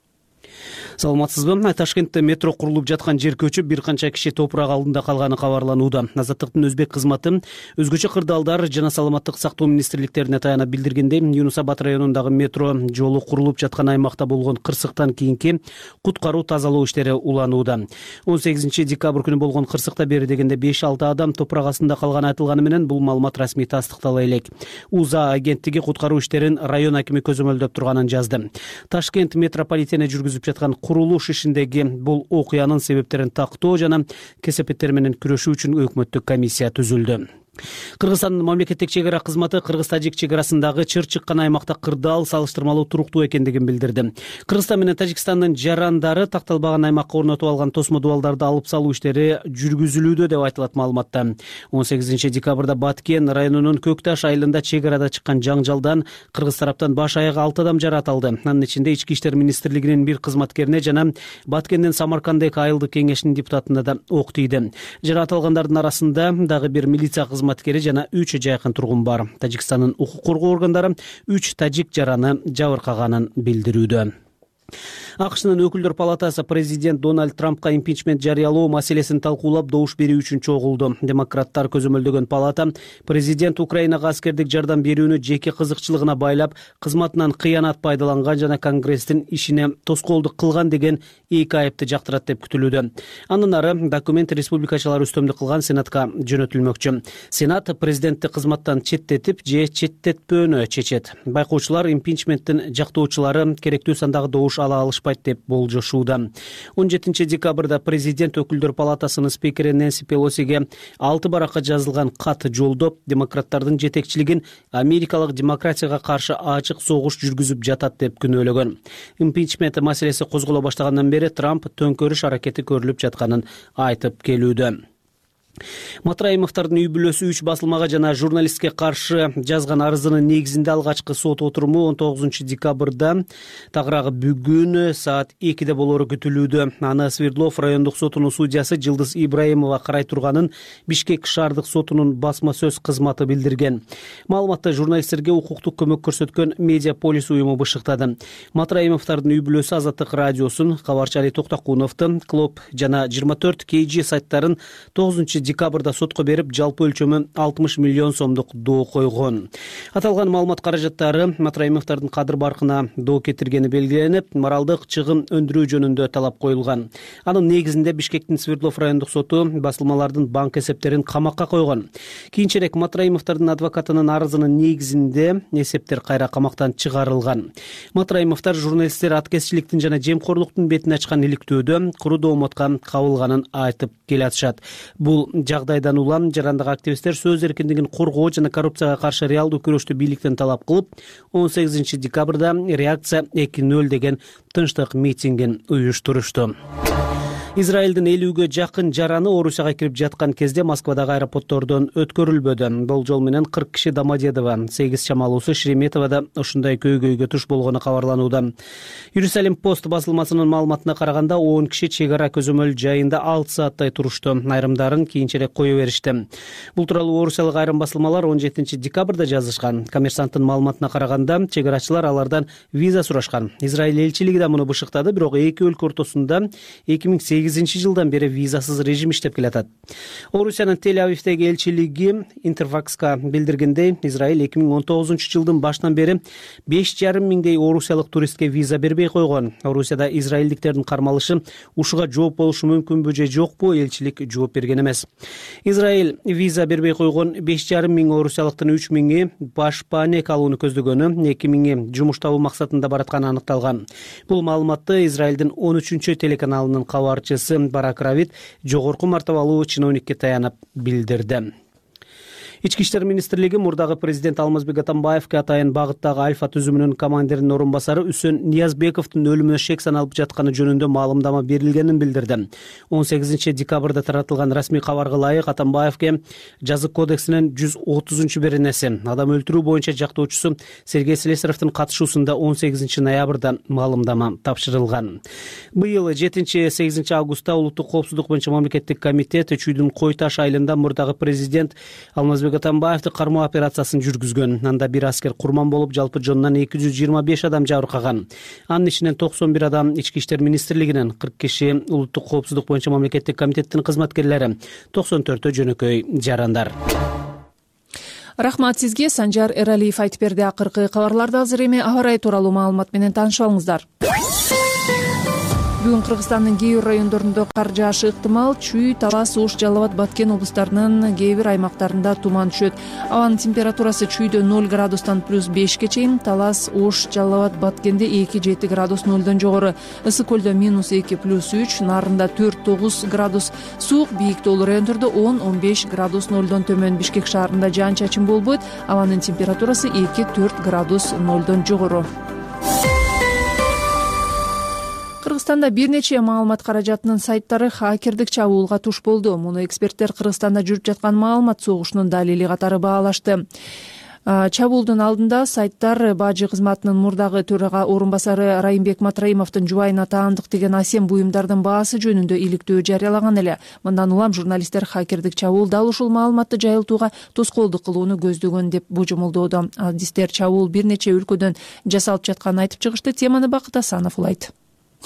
Саламатсызбы? Ташкентте метро курулуп жаткан жер көчүп, бир канча киши топурак алдында калганы кабарланууда. Азаттыктын өзбек кызматы өзгөчө кырдаалдар жана саламаттык сактоо министрликтерине таянып билдиргендей, Юнус Абад районундагы метро жолу курулуп жаткан аймакта болгон кырсыктан кийинки куткаруу тазалоо иштери уланууда. он сегизинчи декабрь күнү болгон кырсыкта бери дегенде беш алты адам топурак астында калганы айтылганы менен бул маалымат расмий тастыктала элек. УЗА агенттиги куткаруу иштерин район акими көзөмөлдөп турганын жазды. Ташкент метрополитени жүргүзүп жаткан курулуш ишиндеги бул окуянын себептерин тактоо жана кесепеттер менен күрөшүү үчүн өкмөттүк комиссия түзүлдү. Кыргызстандын мамлекеттик чек ара кызматы Кыргыз-Тажик чек арасындагы чыр чыккан аймакта кырдаал салыштырмалуу туруктуу экендигин билдирди. Кыргызстан менен Тажикстандын жарандары такталбаган аймакка орнотуп алган тосмо дубалдарды алып салуу иштери жүргүзүлүүдө деп айтылат маалыматта. он сегизинчи декабрда Баткен районунун Көк Таш айылында чек арада чыккан жаңжалдан кыргыз тараптан баш аягы алты адам жаратылды. Анын ичинде Ички иштер министрлигинин бир кызматкерине жана Баткенден Самаркандек айылдык кеңешинин депутатына да ок тийди. Жаратылгандардын арасында дагы бир милиция кызматкери жана үч жайкын тургун бар. Тажикстандын укук коргоо органдары үч тажик жараны жабыркаганын билдирүүдө. АКШнын өкүлдөр палатасы президент Дональд Трампка импичмент жарыялоо маселесин талкуулап добуш берүү үчүн чогулду. Демократтар көзөмөлдөгөн палата президент Украинага аскердик жардам берүүнү жеке кызыкчылыгына байлап, кызматынан кыянат пайдаланган жана Конгресстин ишине тоскоолдук кылган деген эки айыпты жактырат деп күтүлүүдө. Андан ары документ республикачылар үстөмдүк кылган Сенатка жөнөтүлмөкчү. Сенат президентти кызматтан четтетип же четтетпөөнү чечет. Байкоочулар импичменттин жактоочулары керектүү сандагы добуш ала алышпайт деп болжошууда. он жетинчи декабрда президент өкүлдөр палатасынын спикери Нэнси Пелосиге алты баракка жазылган кат жолдоп, демократтардын жетекчилигин америкалык демократияга каршы ачык согуш жүргүзүп жатат деп күнөөлөгөн. Импичмент маселеси козголо баштагандан бери Трамп төңкөрүш аракети көрүлүп жатканын айтып келүүдө. Матраимовдордун үй бүлөсү үч басылмага жана журналистке каршы жазган арызынын негизинде алгачкы сот отуруму он тогузунчу декабрда тагыраагы бүгүн саат экиде болору күтүлүүдө. Аны Свердлов райондук сотунун судьясы Жылдыз Ибраимова карай турганын Бишкек шаардык сотунун басма сөз кызматы билдирген. Маалыматта журналисттерге укуктук көмөк көрсөткөн Медиаполис уюму бышыктады. Матраимовдордун үй бүлөсү Азаттык радиосун, Кабарчы Али Токтокуновдун, Клоп жана жыйырма төрт кей жи сайттарын тогузунчу декабрда сотко берип, жалпы өлчөмү алтымыш миллион сомдук доо койгон. Аталган маалымат каражаттары Матраимовдордун кадыр баркына доо кетиргени белгиленип, моралдык чыгым өндүрүү жөнүндө талап коюлган. Анын негизинде Бишкектин Свердлов райондук соту басылмалардын банк эсептерин камакка койгон. Кийинчерээк Матраимовдордун адвокатынын арызынын негизинде эсептер кайра камактан чыгарылган. Матраимовдор журналисттер аткезчиликтин жана жемкорлуктун бетин ачкан иликтөөдө куру доомотко кабылганын айтып келатышат. Бул жагдайдан улам жарандык активисттер сөз эркиндигин коргоо жана коррупцияга каршы реалдуу күрөштү бийликтен талап кылып, он сегизинчи декабрда реакция эки нөл деген тынчтык митингин уюштурушту. Израилдин элүүгө жакын жараны Орусияга кирип жаткан кезде Москвадагы аэропорттордон өткөрүлбөдү. Болжол менен кырк киши Домодедово, сегиз чамалуусу Шереметоводо ушундай көйгөйгө туш болгону кабарланууда. Иерусалим пост басылмасынын маалыматына караганда он киши чек ара көзөмөл жайында алты сааттай турушту. Айрымдарын кийинчерээк кое беришти. Бул тууралуу орусиялык айрым басылмалар он жетинчи декабрда жазышкан. Коммерсанттын маалыматына караганда чек арачылар алардан виза сурашкан. Израиль элчилиги да муну бышыктады, бирок эки өлкө ортосунда эки миң сегизинчи жылдан бери визасыз режим иштеп келатат. Орусиянын Тель-Авивдеги элчилиги Интерфакска билдиргендей, Израиль эки миң он тогузунчу жылдын башынан бери беш жарым миңдей орусиялык туристке виза бербей койгон. Орусияда израилдиктердин кармалышы ушуга жооп болушу мүмкүнбү же жокпу, элчилик жооп берген эмес. Израиль виза бербей койгон беш жарым миң орусиялыктын үч миңи баш паанек алууну көздөгөнү, эки миңи жумуш табуу максатында баратканы аныкталган. Бул маалыматты Израилдин он үчүнчү телеканалынын кабарчысы Барак Равид жогорку мартабалуу чиновникке таянып билдирди. Ички иштер министрлиги мурдагы президент Алмазбек Атамбаевге атайын багыттагы Альфа түзүмүнүн командиринин орун басары Үсөн Ниязбековдун өлүмүнө шек саналып жатканы жөнүндө маалымдама берилгенин билдирди. он сегизинчи декабрда таратылган расмий кабарга ылайык Атамбаевге жазык кодексинин жүз отузунчу беренеси адам өлтүрүү боюнча жактоочусу Сергей Слесаревдин катышуусунда он сегизинчи ноябрда маалымдама тапшырылган. Быйыл жетинчи сегизинчи августта улуттук коопсуздук боюнча мамлекеттик комитет Чүйдүн Кой Таш айылында мурдагы президент Алмазбек Атамбаевди кармоо операциясын жүргүзгөн. Анда бир аскер курман болуп, жалпы жонунан эки жүз жыйырма беш адам жабыркаган. Анын ичинен токсон бир адам Ички иштер министрлигинен, кырк киши улуттук коопсуздук боюнча мамлекеттик комитеттин кызматкерлери, токсон төртөө жөнөкөй жарандар. Рахмат сизге, Санжар Эралиев айтып берди. Акыркы кабарларды азыр эми аба ырайы тууралуу маалымат менен таанышып алыңыздар. Бүгүн Кыргызстандын кээ бир райондорунда кар жаашы ыктымал. Чүй, Талас, Ош, Жалал Абад, Баткен облустарынын кээ бир аймактарында туман түшөт. Абанын температурасы Чүйдө ноль градустан плюс бешке чейин, Талас, Ош, Жалал Абад, Баткенде эки жети градус нолдон жогору, Ысык көлдө минус эки плюс үч, Нарында төрт тогуз градус, суук, бийик тоолуу райондордо он он беш градус нолдон төмөн. Бишкек шаарында жаан чачын болбойт. Абанын температурасы эки төрт градус нолдон жогору. Кыргызстанда бир нече маалымат каражатынын сайттары хакердик чабуулга туш болду. Муну эксперттер Кыргызстанда жүрүп жаткан маалымат согушунун далили катары баалашты. Чабуулдун алдында сайттар бажы кызматынын мурдагы төрага орун басары Райымбек Матраимовдун жубайына таандык деген асем буюмдардын баасы жөнүндө иликтөө жарыялаган эле. Мындан улам журналисттер хакердик чабуул дал ушул маалыматты жайылтууга тоскоолдук кылууну көздөгөн деп божомолдоодо. Адистер чабуул бир нече өлкөдөн жасалып жатканын айтып чыгышты. Теманы Бакыт Асанов улайт.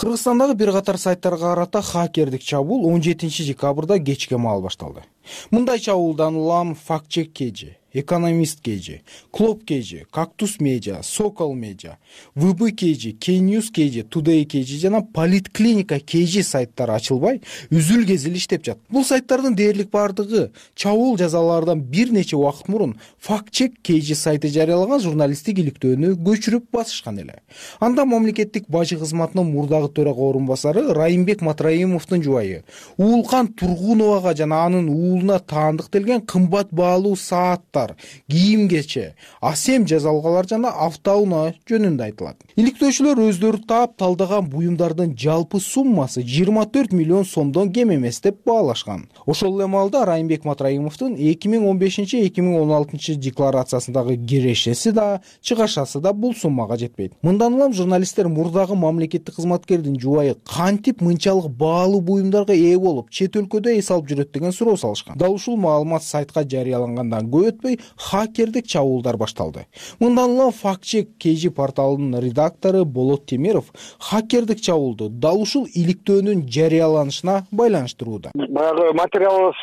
Кыргызстандагы бир катар сайттарга карата хакердик чабуул он жетинчи декабрда кечке маал башталды. Мындай чабуулдан улам Фактчек Кежи, Экономист Кежи, Клоп Кежи, Кактус Медиа, Сокол Медиа, ВБ Кежи, Кеньюс Кежи, Тудей Кежи жана Политклиника Кежи сайттары ачылбай, үзүл кезил иштеп жатат. Бул сайттардын дээрлик бардыгы чабуул жазалардан бир нече убакыт мурун Фактчек Кежи сайты жарыялаган журналисттик иликтөөнү көчүрүп басышкан эле. Анда мамлекеттик бажы кызматынын мурдагы төрага орун басары Райымбек Матраимовдун жубайы Уулкан Тургуновага жана анын уулуна таандыктелген кымбат баалуу сааттар, кийим-кече, асем жазалгалар жана автоунаа жөнүндө айтылат. Иликтөөчүлөр өздөрү таап талдаган буюмдардын жалпы суммасы жыйырма төрт миллион сомдон кем эмес деп баалашкан. Ошол эле маалда Райымбек Матраимовдун эки миң он бешинчи эки миң он алтынчы декларациясындагы кирешеси да, чыгашасы да бул суммага жетпейт. Мындан улам журналисттер мурдагы мамлекеттик кызматкердин жубайы кантип мынчалык баалуу буюмдарга ээ болуп, чет өлкөдө эс алып жүрөт деген суроо салышкан. Дал ушул маалымат сайтка жарыялангандан көп өтпөй хакердик чабуулдар башталды. Мындан улам Фактчек Кежи порталынын редактору Болот Темиров хакердик чабуулду дал ушул иликтөөнүн жарыяланышына байланыштырууда. Баягы материалыбыз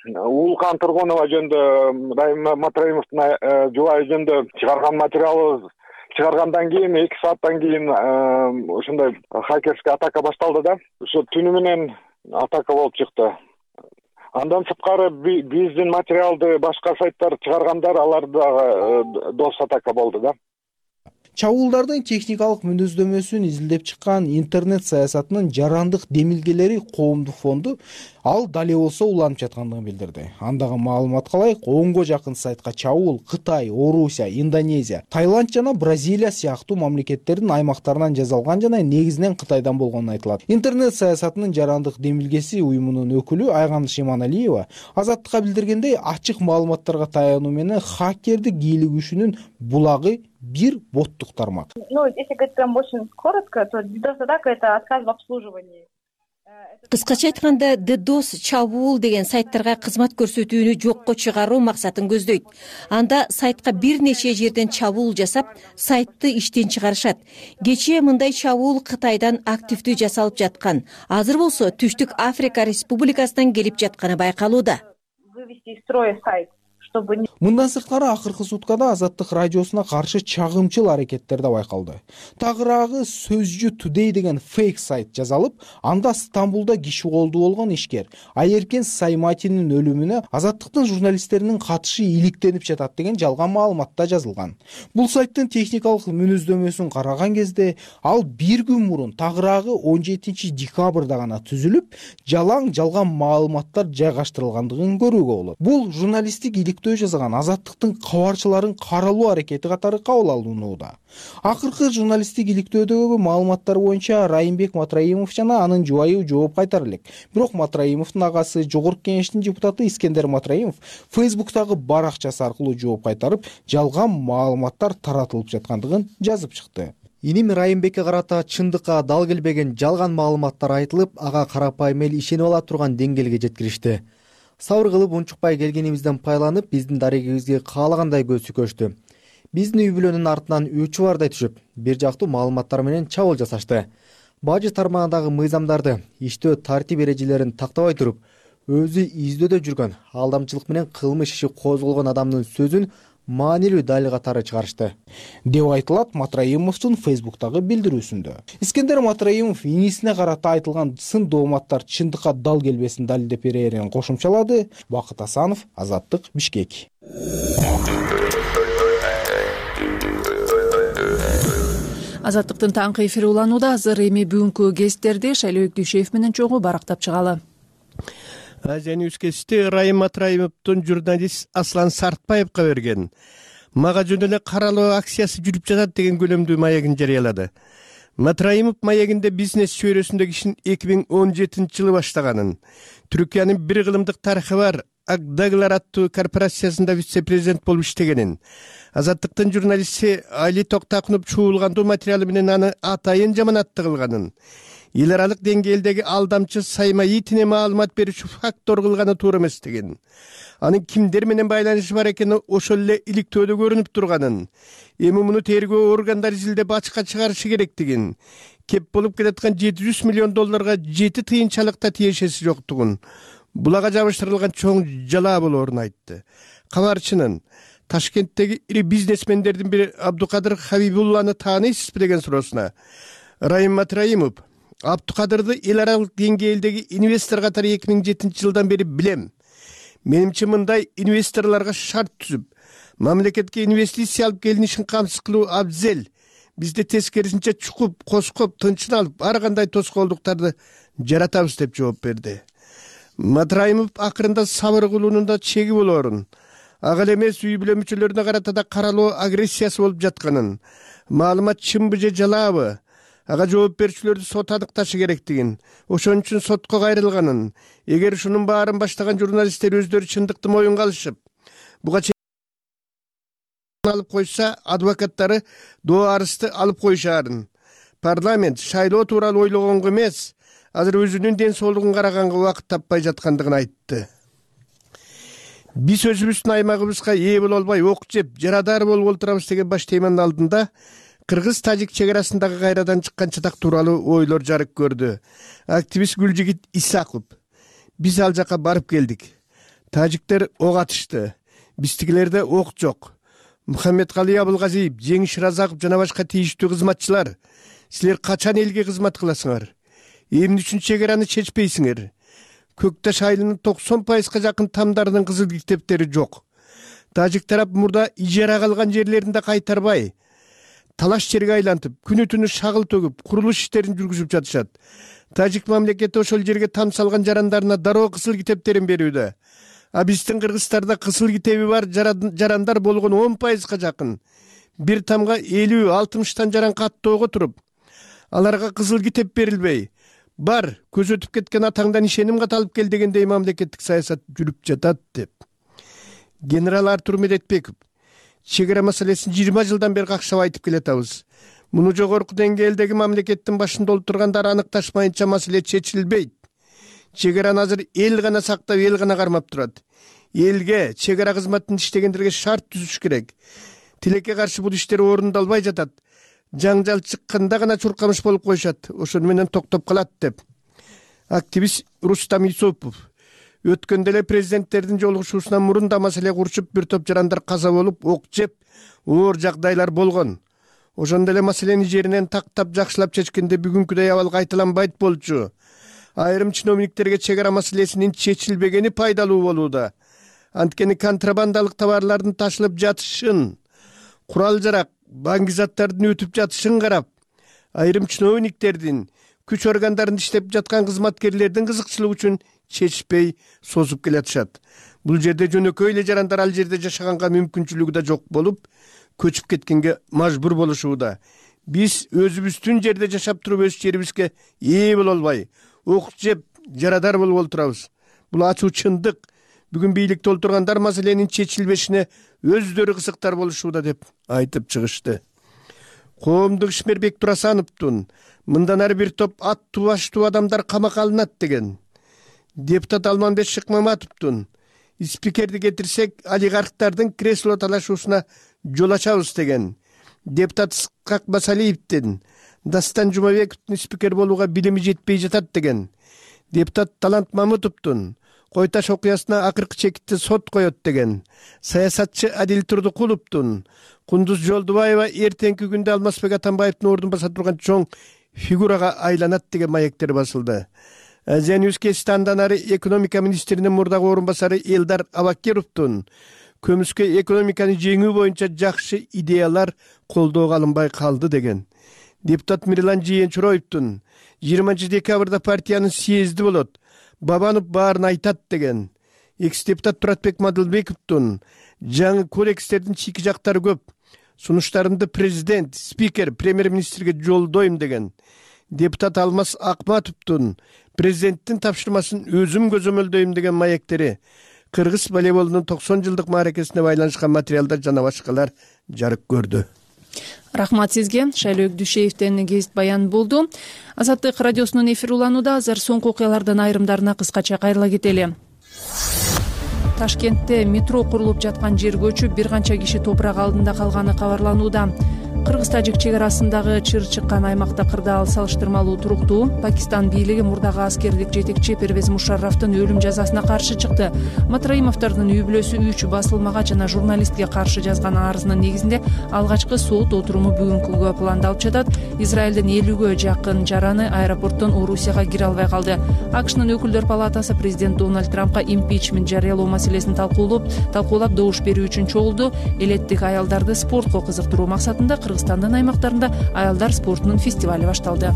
Уулкан Тургунова жөнүндө, Райым Матраимовдун жубайы жөнүндө чыгарган материалыбыз чыгаргандан кийин эки сааттан кийин ушундай хакерский атака башталды да. Ушу түнү менен атака болуп чыкты. Андан сырткары биздин материалды башка сайттар чыгаргандар, алар дагы дос атака болду да. Чабуулдардын техникалык мүнөздөмөсүн изилдеп чыккан интернет саясатынын жарандык демилгелери коомдук фонду ал дал эле болсо уланып жаткандыгын билдирди. Андагы маалыматка ылайык онго жакын сайтка чабуул Кытай, Орусия, Индонезия, Таиланд жана Бразилия сыяктуу мамлекеттердин аймактарынан жасалган жана негизинен Кытайдан болгону айтылат. Интернет саясатынын жарандык демилгеси уюмунун өкүлү Айган Шиманалиева Азаттыкка билдиргендей, ачык маалыматтарга таянуу менен хакердик ийгилик күчүнүн булагы бир боттук тармак. Ну, если говорить прям очень коротко, то DDoS-атака — это отказ в обслуживании. Кыскача айтканда, DDoS чабуул деген сайттарга кызмат көрсөтүүнү жокко чыгаруу максатын көздөйт. Анда сайтка бир нече жерден чабуул жасап, сайтты иштен чыгарышат. Кечээ мындай чабуул Кытайдан активдүү жасалып жаткан. Азыр болсо Түштүк Африка Республикасынан келип жатканы байкалууда. Вывести из строя сайт. Мындан сырткары акыркы суткада Азаттык радиосуна каршы чагымчыл аракеттер да байкалды. Тагыраагы Сөзжү Today деген фейк сайт жазалып, анда Стамбулда киши колду болгон ишкер Айеркен Сайматинин өлүмүнө Азаттыктын журналисттеринин катышы иликтенип жатат деген жалган маалымат да жазылган. Бул сайттын техникалык мүнөздөмөсүн караган кезде ал бир күн мурун Тагыраагы он жетинчи декабрда гана түзүлүп, жалаң жалган маалыматтар жайгаштырылгандыгын көрүүгө болот. Бул журналисттик жасаган Азаттыктын кабарчыларын каралуу аракети катары кабыл алынууда. Акыркы журналисттик иликтөөдөгү маалыматтар боюнча Райымбек Матраимов жана анын жубайы жооп кайтар элек. Бирок Матраимовдун агасы Жогорку Кеңештин депутаты Искендер Матраимов Фейсбуктагы баракчасы аркылуу жооп кайтарып, жалган маалыматтар таратылып жаткандыгын жазып чыкты. Иним Райымбекке карата чындыкка дал келбеген жалган маалыматтар айтылып, ага карапайым эл ишенип ала турган деңгээлге жеткиришти. Сабыр кылып унчукпай келгенибизден пайдаланып, биздин дарегибизге каалагандай көз сүкөштү. Биздин үй бүлөнүн артынан үч баардай түшүп, бир жактуу маалыматтар менен чабуул жасашты. Бажы тармагындагы мыйзамдарды, иштөө тартип эрежелерин тактабай туруп, өзү издөөдө жүргөн, алдамчылык менен кылмыш иши козголгон адамдын сөзүн маанилүү далил катары чыгарышты деп айтылат Матраимовдун Фейсбуктагы билдирүүсүндө. Искендер Матраимов инисине карата айтылган сын дооматтар чындыкка дал келбесин далилдеп берерин кошумчалады. Бакыт Асанов, Азаттык, Бишкек. Азаттыктын таңкы эфири уланууда. Азыр эми бүгүнкү кестерди Шайлообек Дүйшеев менен чогуу барактап чыгалы. Азияныбыз кести Райым Матраимовдун журналист Аслан Сартбаевга берген мага жөн эле каралоо акциясы жүрүп жатат деген көлөмдүү маегин жарыялады. Матраимов маегинде бизнес чөйрөсүндөгү ишин эки миң он жетинчи жылы баштаганын, Түркиянын бир кылымдык тарыхы бар Акдагылар аттуу корпорациясында вице-президент болуп иштегенин, Азаттыктын журналисти Али Токтакунов чуулгандуу материалы менен аны атайын жаманатты кылганын, эл аралык деңгээлдеги алдамчы Саймаитине маалымат берүүчү фактор кылганы туура эмес деген, анын кимдер менен байланышы бар экени ошол эле иликтөөдө көрүнүп турганын, эми муну тергөө органдары изилдеп ачыкка чыгарышы керектигин, кеп болуп келаткан жети жүз миллион долларга жети тыйынчалыкта тиешеси жоктугун, булага жабыштырылган чоң жалаа болоорун айтты. Кабарчынын Ташкенттеги ири бизнесмендердин бири Абдукадыр Хабибулланы тааныйсызбы деген суроосуна Райым Матраимов Абдукадырды эл аралык деңгээлдеги инвестор катары эки миң жетинчи жылдан бери билем. Менимче мындай инвесторлорго шарт түзүп, мамлекетке инвестиция алып келинишин камсыз кылуу абзел. Бизде тескерисинче чукуп, коскоп, тынчын алып, ар кандай тоскоолдуктарды жаратабыз деп жооп берди. Матраимов акырында сабыр кылуунун да чеги болоорун, ага эле эмес үй бүлө мүчөлөрүнө карата да каралоо агрессиясы болуп жатканын, маалымат чынбы же жалаабы, ага жооп берүүчүлөрдү сот аныкташы керектигин, ошон үчүн сотко кайрылганын, эгер ушунун баарын баштаган журналисттер өздөрү чындыкты моюнга алышып, буга алып койса, адвокаттары доо арызды алып коюшаарын. Парламент шайлоо тууралуу ойлогонго эмес, азыр өзүнүн ден соолугун караганга убакыт таппай жаткандыгын айтты. Биз өзүбүздүн аймагыбызга ээ боло албай ок жеп, жарадар болуп олтурабыз деген баш теманын алдында Кыргыз-Тажик чек арасындагы кайрадан чыккан чатак тууралуу ойлор жарык көрдү. Активист Гүлжигит Исаков: биз ал жака барып келдик. Тажиктер ок атышты. Биздикилерде ок жок. Мухаммедкалый Абылгазиев, Жеңиш Разаков жана башка тийиштүү кызматчылар, силер качан элге кызмат кыласыңар? Эмне үчүн чек араны чечпейсиңер? Көкташ айылынын токсон пайызга жакын тамдарынын кызыл китептери жок. Тажик тарап мурда ижарага алган жерлеринде кайтарбай, талаш жерге айлантып күнү түнү шагыл төгүп курулуш иштерин жүргүзүп жатышат. Тажик мамлекети ошол жерге там салган жарандарына дароо кысыл китептерин берүүдө. А биздин Кыргызстанда кысыл китеби бар жарандар болгон он пайызга жакын. Бир тамга элүү алтымыштан жаран каттоого туруп, аларга кызыл китеп берилбей, бар көз өтүп кеткен атаңдан ишеним кат алып кел дегендей мамлекеттик саясат жүрүп жатат деп. Генерал Артур Медетбеков: чек ара маселесин жыйырма жылдан бери какшап айтып келатабыз. Муну жогорку деңгээлдеги мамлекеттин башында олтургандар аныкташмайынча маселе чечилбейт. Чек араны азыр эл гана сактап, эл гана кармап турат. Элге, чек ара кызматын иштегендерге шарт түзүш керек. Тилекке каршы бул иштер орундалбай жатат. Жаңжал чыкканда гана чуркамыш болуп коюшат. Ошону менен токтоп калат деп. Активист Рустам Исупов: өткөндө эле президенттердин жолугушуусунан мурун да маселе курчуп, бир топ жарандар каза болуп, ок жеп, оор жагдайлар болгон. Ошондо эле маселени жеринен тактап жакшылап чечкенде бүгүнкүдөй абал кайталанбайт болчу. Айрым чиновниктерге чек ара маселесинин чечилбегени пайдалуу болууда. Анткени контрабандалык товарлардын ташылып жатышын, курал жарак, банк заттардын өтүп жатышын карап, айрым чиновниктердин, күч органдарында иштеп жаткан кызматкерлердин кызыкчылыгы үчүн чечишпей созуп келатышат. Бул жерде жөнөкөй эле жарандар ал жерде жашаганга мүмкүнчүлүгү да жок болуп, көчүп кеткенге мажбур болушууда. Биз өзүбүздүн жерде жашап туруп өз жерибизге ээ боло албай, ок жеп, жарадар болуп олтурабыз. Бул ачуу чындык. Бүгүн бийликте олтургандар маселенин чечилбешине өздөрү кызыктар болушууда деп айтып чыгышты. Коомдук ишмер Бектурасановдун мындан ары бир топ аттуу баштуу адамдар камакка алынат деген. Депутат Алманбек Шыкмаматовдун спикерди кетирсек, олигархтардын кресло талашуусуна жол ачабыз деген. Депутат Ысқақ Басалиевдин Дастан Жумабековдун спикер болууга билими жетпей жатат деген. Депутат Талант Мамытовдун Кой Таш окуясына акыркы чекитти сот коет деген. Саясатчы Адил Турдукуловдун Кундуз Жолдубаева эртеңки күндө Алмазбек Атамбаевдин ордун баса турган чоң фигурага айланат деген маектер басылды. Азия Ньюс кести андан ары экономика министринин мурдагы орун басары Элдар Абакировдун көмүскө экономиканы жеңүү боюнча жакшы идеялар колдоого алынбай калды деген. Депутат Мирлан Жыйенчуроевдун жыйырманчы декабрда партиянын съезди болот, Бабанов баарын айтат деген. Экс-депутат Туратбек Мадылбековдун жаңы кодекстердин чийки жактары көп, сунуштарымды президент, спикер, премьер-министрге жолдойм деген. Депутат Алмаз Акматовдун президенттин тапшырмасын өзүм көзөмөлдөйм деген маектери Кыргыз волейболунун токсон жылдык мааракесине байланышкан материалдар жана башкалар жарык көрдү. Рахмат сизге. Шайлоо Дүйшеевден кесип баян болду. Азаттык радиосунун эфири уланууда. Азыр соңку окуялардын айрымдарына кыскача кайрыла кетели. Ташкентте метро курулуп жаткан жер көчүп, бир канча киши топурак алдында калганы кабарланууда. Кыргыз-тажик чек арасындагы чыр чыккан аймакта кырдаал салыштырмалуу туруктуу. Пакистан бийлиги мурдагы аскердик жетекчи Первез Мушаррафтын өлүм жазасына каршы чыкты. Матраимовдордун үй бүлөсү үч басылмага жана журналистке каршы жазган арызынын негизинде алгачкы сот отуруму бүгүнкүгө пландалып жатат. Израилдин элүүгө жакын жараны аэропорттон Орусияга кире албай калды. АКШнын өкүлдөр палатасы президент Дональд Трампка импичмент жарыялоо маселесин талкуулап, талкуулап добуш берүү үчүн чогулду. Элеттик аялдарды спортко кызыктыруу максатында Кыргызстандын аймактарында аялдар спортунун фестивали башталды.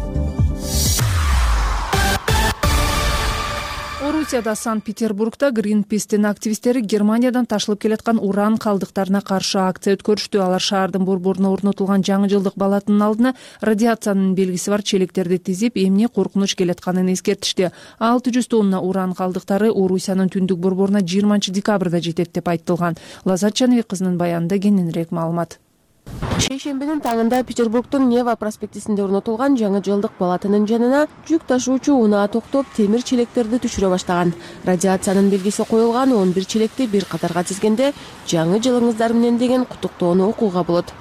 Орусияда Санкт-Петербургда Greenpeace'тин активисттери Германиядан ташылып келаткан уран калдыктарына каршы акция өткөрүштү. Алар шаардын борборуна орнотулган жаңы жылдык балатынын алдына радиациянын белгиси бар челектерди тизип, эмне коркунуч келатканын эскертишти. алты жүз тонна уран калдыктары Орусиянын түндүк борборуна жыйырманчы декабрда жетет деп айтылган. Лазат Жаныбек кызынын баянында кененирээк маалымат. Шейшембинин таңында Петербургдун Нева проспектисинде орнотулган жаңы жылдык балатынын жанына жүк ташуучу унаа токтоп, темир челектерди түшүрө баштаган. Радиациянын белгиси коюлган он бир челекти бир катарга тизгенде жаңы жылыңыздар менен деген куттуктоону окууга болот.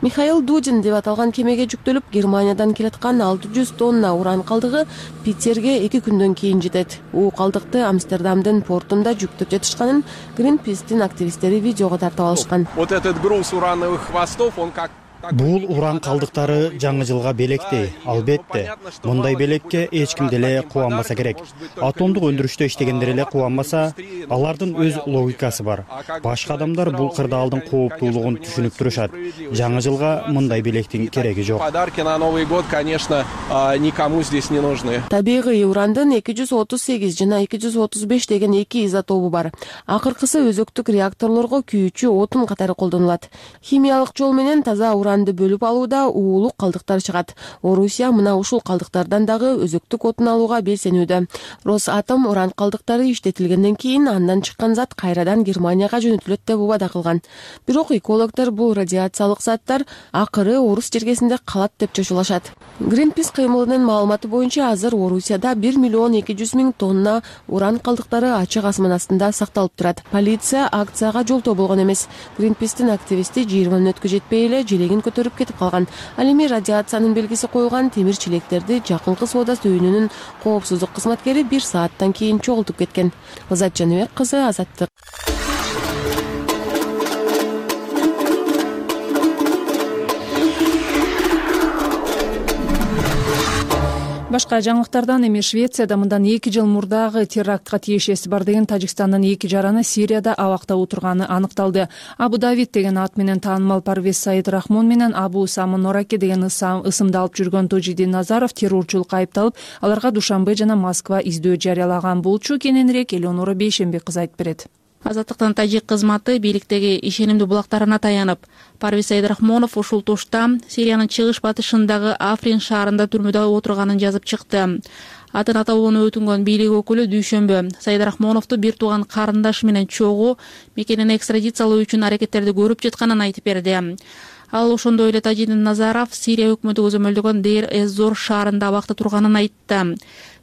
Михаил Дудин деп аталган кемеге жүктөлүп, Германиядан келаткан алты жүз тонна уран калдыгы Питерге эки күндөн кийин жетет. У калдыкты Амстердамдын портунда жүктөп жатышканын Greenpeace'тин активисттери видеого тартып алышкан. Вот этот груз урановых хвостов, он как бул уран калдыктары жаңы жылга белектей. Албетте, мындай белекке эч ким деле кубанбаса керек. Атомдук өндүрүштө иштегендер эле кубанбаса, алардын өз логикасы бар. Башка адамдар бул кырдаалдын кооптуулугун түшүнүп турушат. Жаңы жылга мындай белектин кереги жок. Подарки на Новый год, конечно, никому здесь не нужны. Табигый урандын эки жүз отуз сегиз жана эки жүз отуз беш деген эки изотобу бар. Акыркысы өзөктүк реакторлорго күйүүчү отун катары колдонулат. Химиялык жол менен таза уранды бөлүп алууда уулук калдыктар чыгат. Орусия мына ушул калдыктардан дагы өзөктүк отун алууга белсенүүдө. Росатом уран калдыктары иштетилгенден кийин андан чыккан зат кайрадан Германияга жөнөтүлөт деп убада кылган. Бирок экологдор бул радиациялык заттар акыры Орус жергесинде калат деп чочулашат. Greenpeace кыймылынын маалыматы боюнча азыр Орусияда бир миллион эки жүз миң тонна уран калдыктары ачык асман астында сакталып турат. Полиция акцияга жолтоо болгон эмес. Greenpeace'тин активисти жыйырма мүнөткө жетпей эле желегин көтөрүп кетип калган. Ал эми радиациянын белгиси коюлган темир челектерди жакынкы соода түйүнүнүн коопсуздук кызматкери бир сааттан кийин чогултуп кеткен. Азат Жаныбек кызы, Азаттык. Башка жаңылыктардан эми Швецияда мындан эки жыл мурдагы терактка тиешеси бар деген Тажикстандын эки жараны Сирияда абакта отурганы аныкталды. Абу Давид деген ат менен таанымал Парвез Саид Рахмон менен Абу Усама Нораке деген ысымды алып жүргөн Тожидин Назаров террорчулукка айыпталып, аларга Душанбе жана Москва издөө жарыялаган болчу. Кененирээк Элеонора Бейшембек кызы айтып берет. Азаттыктын тажик кызматы бийликтеги ишенимдүү булактарына таянып, Парвез Саид Рахмонов ушул тушта Сириянын чыгыш батышындагы Африн шаарында түрмөдө отурганын жазып чыкты. Атын аталууну өтүнгөн бийлик өкүлү дүйшөмбү Саид Рахмоновду бир тууган карындашы менен чогуу мекенин экстрадициялоо үчүн аракеттерди көрүп жатканын айтып берди. Ал ошондой эле Тожидин Назаров Сирия өкмөтү көзөмөлдөгөн Дейр-эз-Зор шаарында абакта турганын айтты.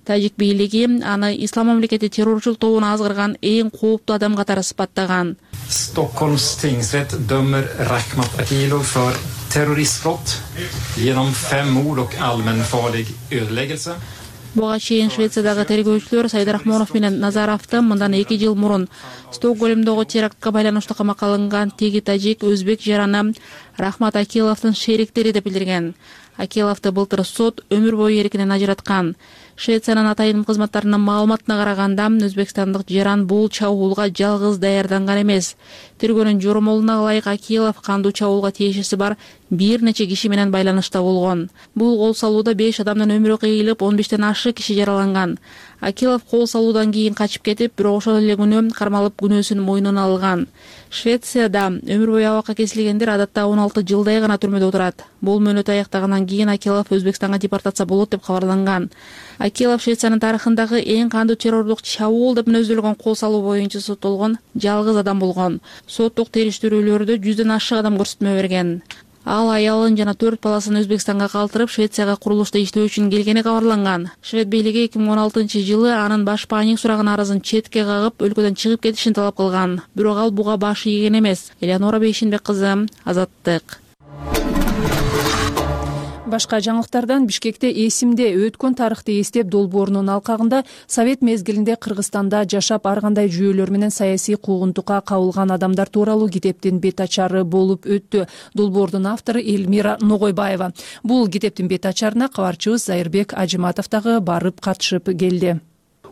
Тажик бийлиги аны Ислам мамлекети террорчул тобуна азгырган эң кооптуу адам катары сыпаттаган. Stockholms tingsrätt dömer Rakhmat Akilov för terroristbrott genom fem mord och allmänfarlig ödeläggelse. Буга чейин Швециядагы тергөөчүлөр Саид Рахмонов менен Назаровду мындан эки жыл мурун Стокгольмдогу терактка байланыштуу камакка алынган теги тажик өзбек жараны Рахмат Акиловдун шериктери деп билдирген. Акиловду былтыр сот өмүр бою эркинен ажыраткан. Швециянын атайын кызматтарынын маалыматына караганда, өзбекстандык жаран бул чабуулга жалгыз даярданган эмес. Тергөөнүн жоромолуна ылайык Акилов кандуу чабуулга тиешеси бар бир нече киши менен байланышта болгон. Бул кол салууда беш адамдын өмүрү кыйылып, он бештен ашык киши жараланган. Акилов кол салуудан кийин качып кетип, бирок ошол эле күнү кармалып күнөөсүн мойнуна алган. Швецияда өмүр бою абакка кесилгендер адатта он алты жылдай гана түрмөдө отурат. Бул мөөнөт аяктагандан кийин Акилов Өзбекстанга депортация болот деп кабарланган. Акилов Швециянын тарыхындагы эң кандуу террорлук чабуул деп мүнөздөлгөн кол салуу боюнча соттолгон жалгыз адам болгон. Соттук териштирүүлөрдө жүздөн ашык адам көрсөтмө берген. Ал аялын жана төрт баласын Өзбекстанга калтырып, Швецияга курулушта иштөө үчүн келгени кабарланган. Швед бийлиги эки миң он алтынчы жылы анын баш бааник сураган арызын четке кагып, өлкөдөн чыгып кетишин талап кылган. Бирок ал буга баш ийген эмес. Элеонора Бейшембек кызы, Азаттык. Башка жаңылыктардан Бишкекте эсимде өткөн тарыхты эстеп долбоорунун алкагында Совет мезгилинде Кыргызстанда жашап ар кандай жүйөлөр менен саясий куугунтукка кабылган адамдар тууралуу китептин бет ачары болуп өттү. Долбоордун автору Элмира Ногойбаева. Бул китептин бет ачарына кабарчыбыз Зайырбек Ажыматов дагы барып катышып келди.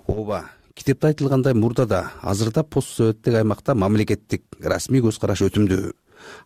Ооба, китепте айтылгандай мурдада азырда постсоветтик аймакта мамлекеттик расмий көз караш өтүмдүү.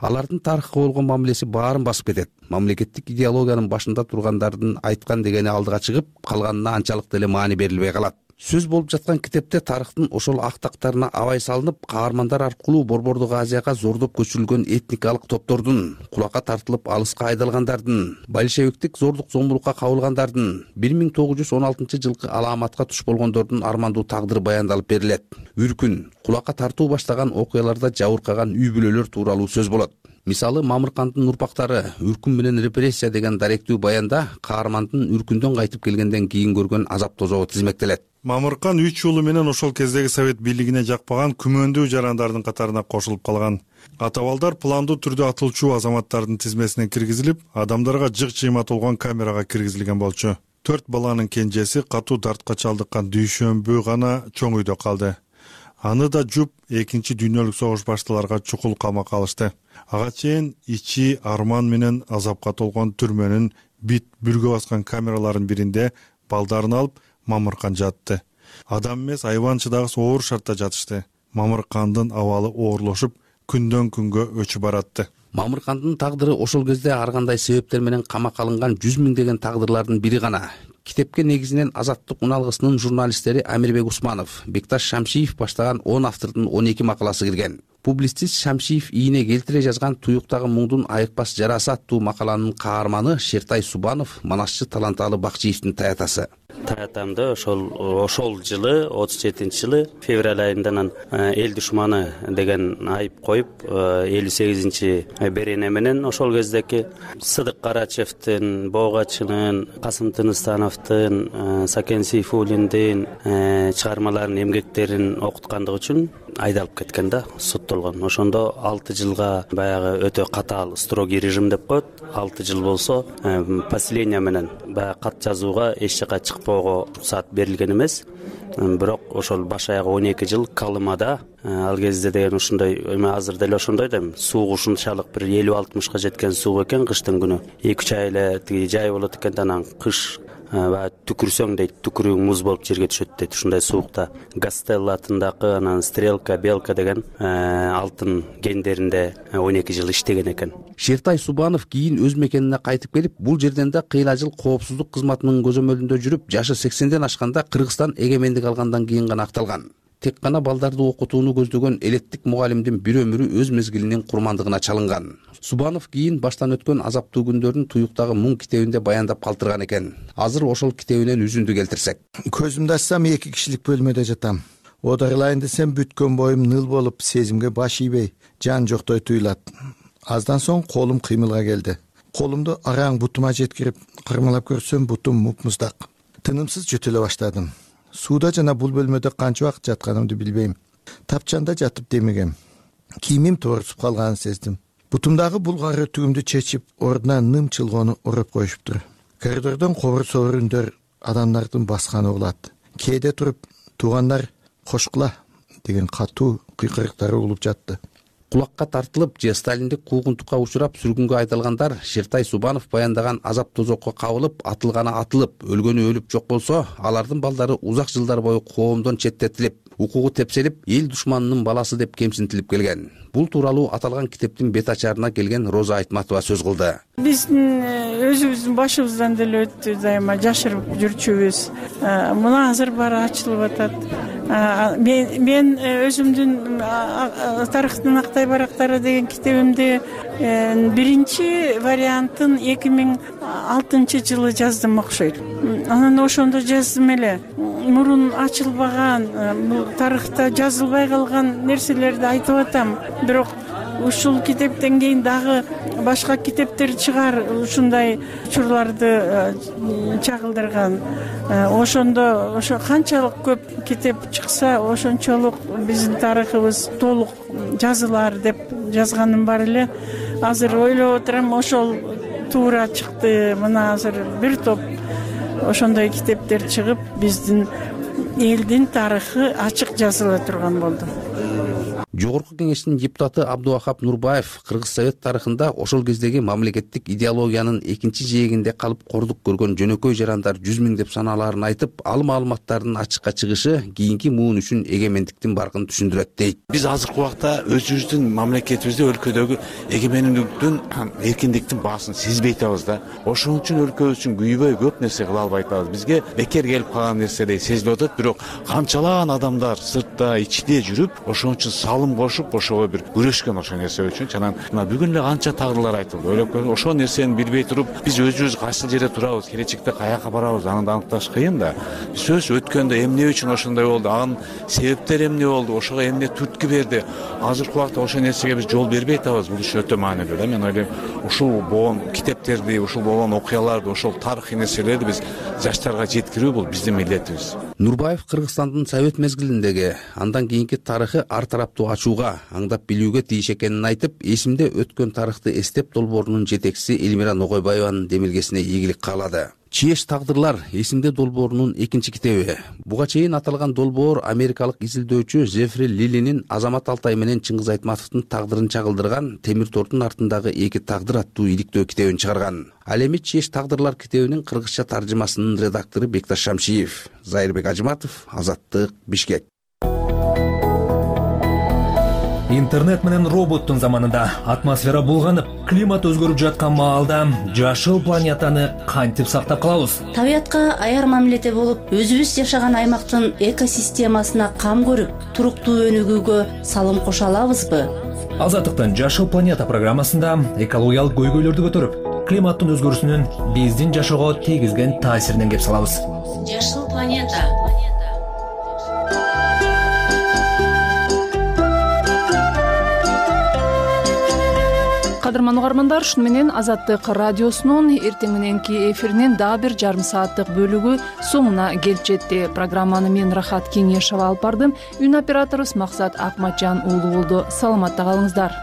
Алардын тарыхка болгон мамилеси баарын басып кетет. Мамлекеттик идеологиянын башында тургандардын айткан дегени алдыга чыгып, калганына анчалык деле маани берилбей калат. Сөз болуп жаткан китепте тарыхтын ошол актактарына абай салынып, каармандар аркылуу Борбордук Азияга зордоп көчүрүлгөн этникалык топтордун, кулакка тартылып алыска айдалгандардын, большевиктик зордук зомбулукка кабылгандардын, бир миң тогуз жүз он алтынчы жылкы алааматка туш болгондордун армандуу тагдыры баяндалып берилет. Үркүн, кулакка тартуу баштаган окуяларда жабыркаган үй бүлөлөр тууралуу сөз болот. Мисалы, Мамыркандын урпактары Үркүн менен репрессия деген даректүү баянда каармандын Үркүндөн кайтып келгенден кийин көргөн азап тозогу тизмектелет. Мамыркан үч уулу менен ошол кездеги совет бийлигине жакпаган күмөндүү жарандардын катарына кошулуп калган. Атабалдар пландуу түрдө атылчу азаматтардын тизмесине киргизилип, адамдарга жык чыйма толгон камерага киргизилген болчу. Төрт баланын кенжеси катуу дартка чалдыккан Дүйшөмбү гана чоң үйдө калды. аны да жуп экинчи дүйнөлүк согуш башталарга чукул камакка алышты. Ага чейин ичи арман менен азапка толгон түрмөнүн бит бүргө баскан камераларынын биринде балдарын алып Мамыркан жатты. Адам эмес, айванчыдагысы оор шартта жатышты. Мамыркандын абалы оорлошуп, күндөн күнгө өчүп баратты. Мамыркандын тагдыры ошол кезде ар кандай себептер менен камакка алынган жүз миңдеген тагдырлардын бири гана. Китепке негизинен Азаттык уналгысынын журналисттери Амирбек Усманов, Бекташ Шамшиев баштаган он автордун он эки макаласы кирген. Публицист Шамшиев ийине келтире жазган Туюктагы муңдун айыкпас жарасы аттуу макаланын каарманы Шертай Субанов, манасчы Таланталы Бакчиевдин таятасы. Таятамды ошол ошол жылы отуз жетинчи жылы февраль айында эл душманы деген айып коюп, элүү сегизинчи берене менен ошол кездеки Сыдык Карачевдин, Боогачынын, Касым Тыныстановдун, Сакен Сейфуллиндин чыгармаларын, эмгектерин окуткандыгы үчүн айдалып кеткен да, соттолгон. Ошондо алты жылга баягы өтө катаал строгий режим деп коет. алты жыл болсо поселение менен баягы кат жазууга эч жака чыкпоого уруксат берилген эмес. Бирок ошол баш аягы он эки жыл Калымада, ал кезде деген ушундай, эми азыр деле ошондой да, суу ушунчалык бир элүү алтымышка жеткен суу экен кыштын күнү. эки үч ай эле тиги жай болот экен, анан кыш баягы түкүрсөң дейт, түкүрүң муз болуп жерге түшөт дейт. Ушундай суукта Гастелла атындагы анан Стрелка, Белка деген алтын кендеринде он эки жыл иштеген экен. Шертай Субанов кийин өз мекенине кайтып келип, бул жерден да кыйла жыл коопсуздук кызматынын көзөмөлүндө жүрүп, жашы сексенден ашканда Кыргызстан эгемендик алгандан кийин гана акталган. Тек гана балдарды окутууну көздөгөн элеттик мугалимдин бир өмүрү өз мезгилинин курмандыгына чалынган. Субанов кийин баштан өткөн азаптуу күндөрүн Туюктагы муң китебинде баяндап калтырган экен. Азыр ошол китебинен үзүндү келтирсек. Көзүмдү ачсам эки кишилик бөлмөдө жатам. Оодарылайын десем бүткөн боюм ныл болуп, сезимге баш ийбей, жан жоктой туюлат. Аздан соң колум кыймылга келди. Колумду араң бутума жеткирип, кырмалап көрсөм, бутум муп-муздак. Тынымсыз жөтөлө баштадым. Сууда жана бул бөлмөдө канча убакыт жатканымды билбейм. Тапчанда жатып демегем. Кийимим тоорусуп калганын сездим. Бутумдагы булгары түгүмдү чечип, ордуна ным чылгоону уруп коюшуптур. Коридордон кобур-собур үндөр адамдардын басканы угулат. Кээде туруп, туугандар кошкула деген катуу кыйкырыктары угулуп жатты. Кулакка тартылып же сталиндик куугунтукка учурап сүргүнгө айдалгандар Шертай Субанов баяндаган азап тозокко кабылып, атылганы атылып, өлгөнү өлүп жок болсо, алардын балдары узак жылдар бою коомдон четтетилип, укугу тепселип, эл душманынын баласы деп кемсинтилип келген. Бул тууралуу аталган китептин бет ачарына келген Роза Айтматова сөз кылды. Биздин өзүбүздүн башыбыздан деле өттү, дайыма жашырып жүрчүбүз. Мына азыр баары ачылып атат. Мен мен өзүмдүн тарыхтын актай барактары деген китебимде биринчи вариантын эки миң алтынчы жылы жаздым окшойт. Анан ошондо жаздым эле. Мурун ачылбаган, тарыхта жазылбай калган нерселерди айтып атам. Бирок ушул китептен кийин дагы башка китептер чыгар, ушундай учурларды чагылдырган. Ошондо ошо канчалык көп китеп чыкса, ошончолук биздин тарыхыбыз толук жазылар деп жазганым бар эле. Азыр ойлоп отурам, ошол туура чыкты. Мына азыр бир топ ошондой китептер чыгып, биздин элдин тарыхы ачык жазыла турган болду. Жогорку кеңештин депутаты Абдувахап Нурбаев Кыргыз Совет тарыхында ошол кездеги мамлекеттик идеологиянын экинчи жээгинде калып кордук көргөн жөнөкөй жарандар жүз миң деп санааларын айтып, ал маалыматтардын ачыкка чыгышы кийинки муун үчүн эгемендиктин баркын түшүндүрөт дейт. Биз азыркы убакта өзүбүздүн мамлекетибизде, өлкөдөгү эгемендиктин, эркиндиктин баасын сезбей атабыз да. Ошон үчүн өлкөбүз үчүн күйбөй көп нерсе кыла албай атабыз. Бизге бекер келип калган нерседей сезилип атат, бирок канчалаган адамдар сыртта, ичинде жүрүп, ошон үчүн салым кошуп, ошого бир күрөшкөн ошол нерсе үчүн. Анан мына бүгүн эле канча тагдырлар айтылды. Ойлоп көрүң, ошол нерсени билбей туруп, биз өзүбүз кайсы жерде турабыз, келечекте каяка барабыз, аны аныкташ кыйын да. Сөз өткөндө эмне үчүн ошондой болду, анын себептери эмне болду, ошого эмне түрткү берди. Азыркы убакта ошол нерсеге биз жол бербей атабыз. Бул иш өтө маанилүү да. Мен ойлойм, ушул болгон китептерди, ушул болгон окуяларды, ошол тарыхый нерселерди биз жаштарга жеткирүү бул биздин милдетибиз. Нурбаев Кыргызстандын Совет мезгилиндеги, андан кийинки тарыхы ар тараптуу ачууга, аңдап билүүгө тийиш экенин айтып, эсимде өткөн тарыхты эстеп долбоорунун жетекчиси Элмира Ногойбаеванын демилгесине ийгилик каалады. Чиеш тагдырлар эсимде долбоорунун экинчи китеби. Буга чейин аталган долбоор америкалык изилдөөчү Жефри Лилинин Азамат Алтай менен Чыңгыз Айтматовдун тагдырын чагылдырган Темир тордун артындагы эки тагдыр аттуу иликтөө китебин чыгарган. Ал эми Чиеш тагдырлар китебинин кыргызча таржымасынын редактору Бекташ Шамшиев. Зайырбек Ажыматов, Азаттык, Бишкек. Интернет менен роботтун заманында атмосфера булганып, климат өзгөрүп жаткан маалда жашыл планетаны кантип сактап калабыз? Табиятка аяр мамиледе болуп, өзүбүз жашаган аймактын экосистемасына кам көрүп, туруктуу өнүгүүгө салым кошо алабызбы? Азаттыктын Жашыл планета программасында экологиялык көйгөйлөрдү көтөрүп, климаттын өзгөрүүсүнүн биздин жашоого тийгизген таасиринен кеп салабыз. Жашыл планета. Кадырман угармандар, шуну менен Азаттык радиосунун эртең мененки эфиринин дагы бир жарым сааттык бөлүгү соңуна келип жетти. Программаны мен Рахат Кеңешова алып бардым. Үн операторубуз Максат Акматжан уулу болду. Саламатта калыңыздар.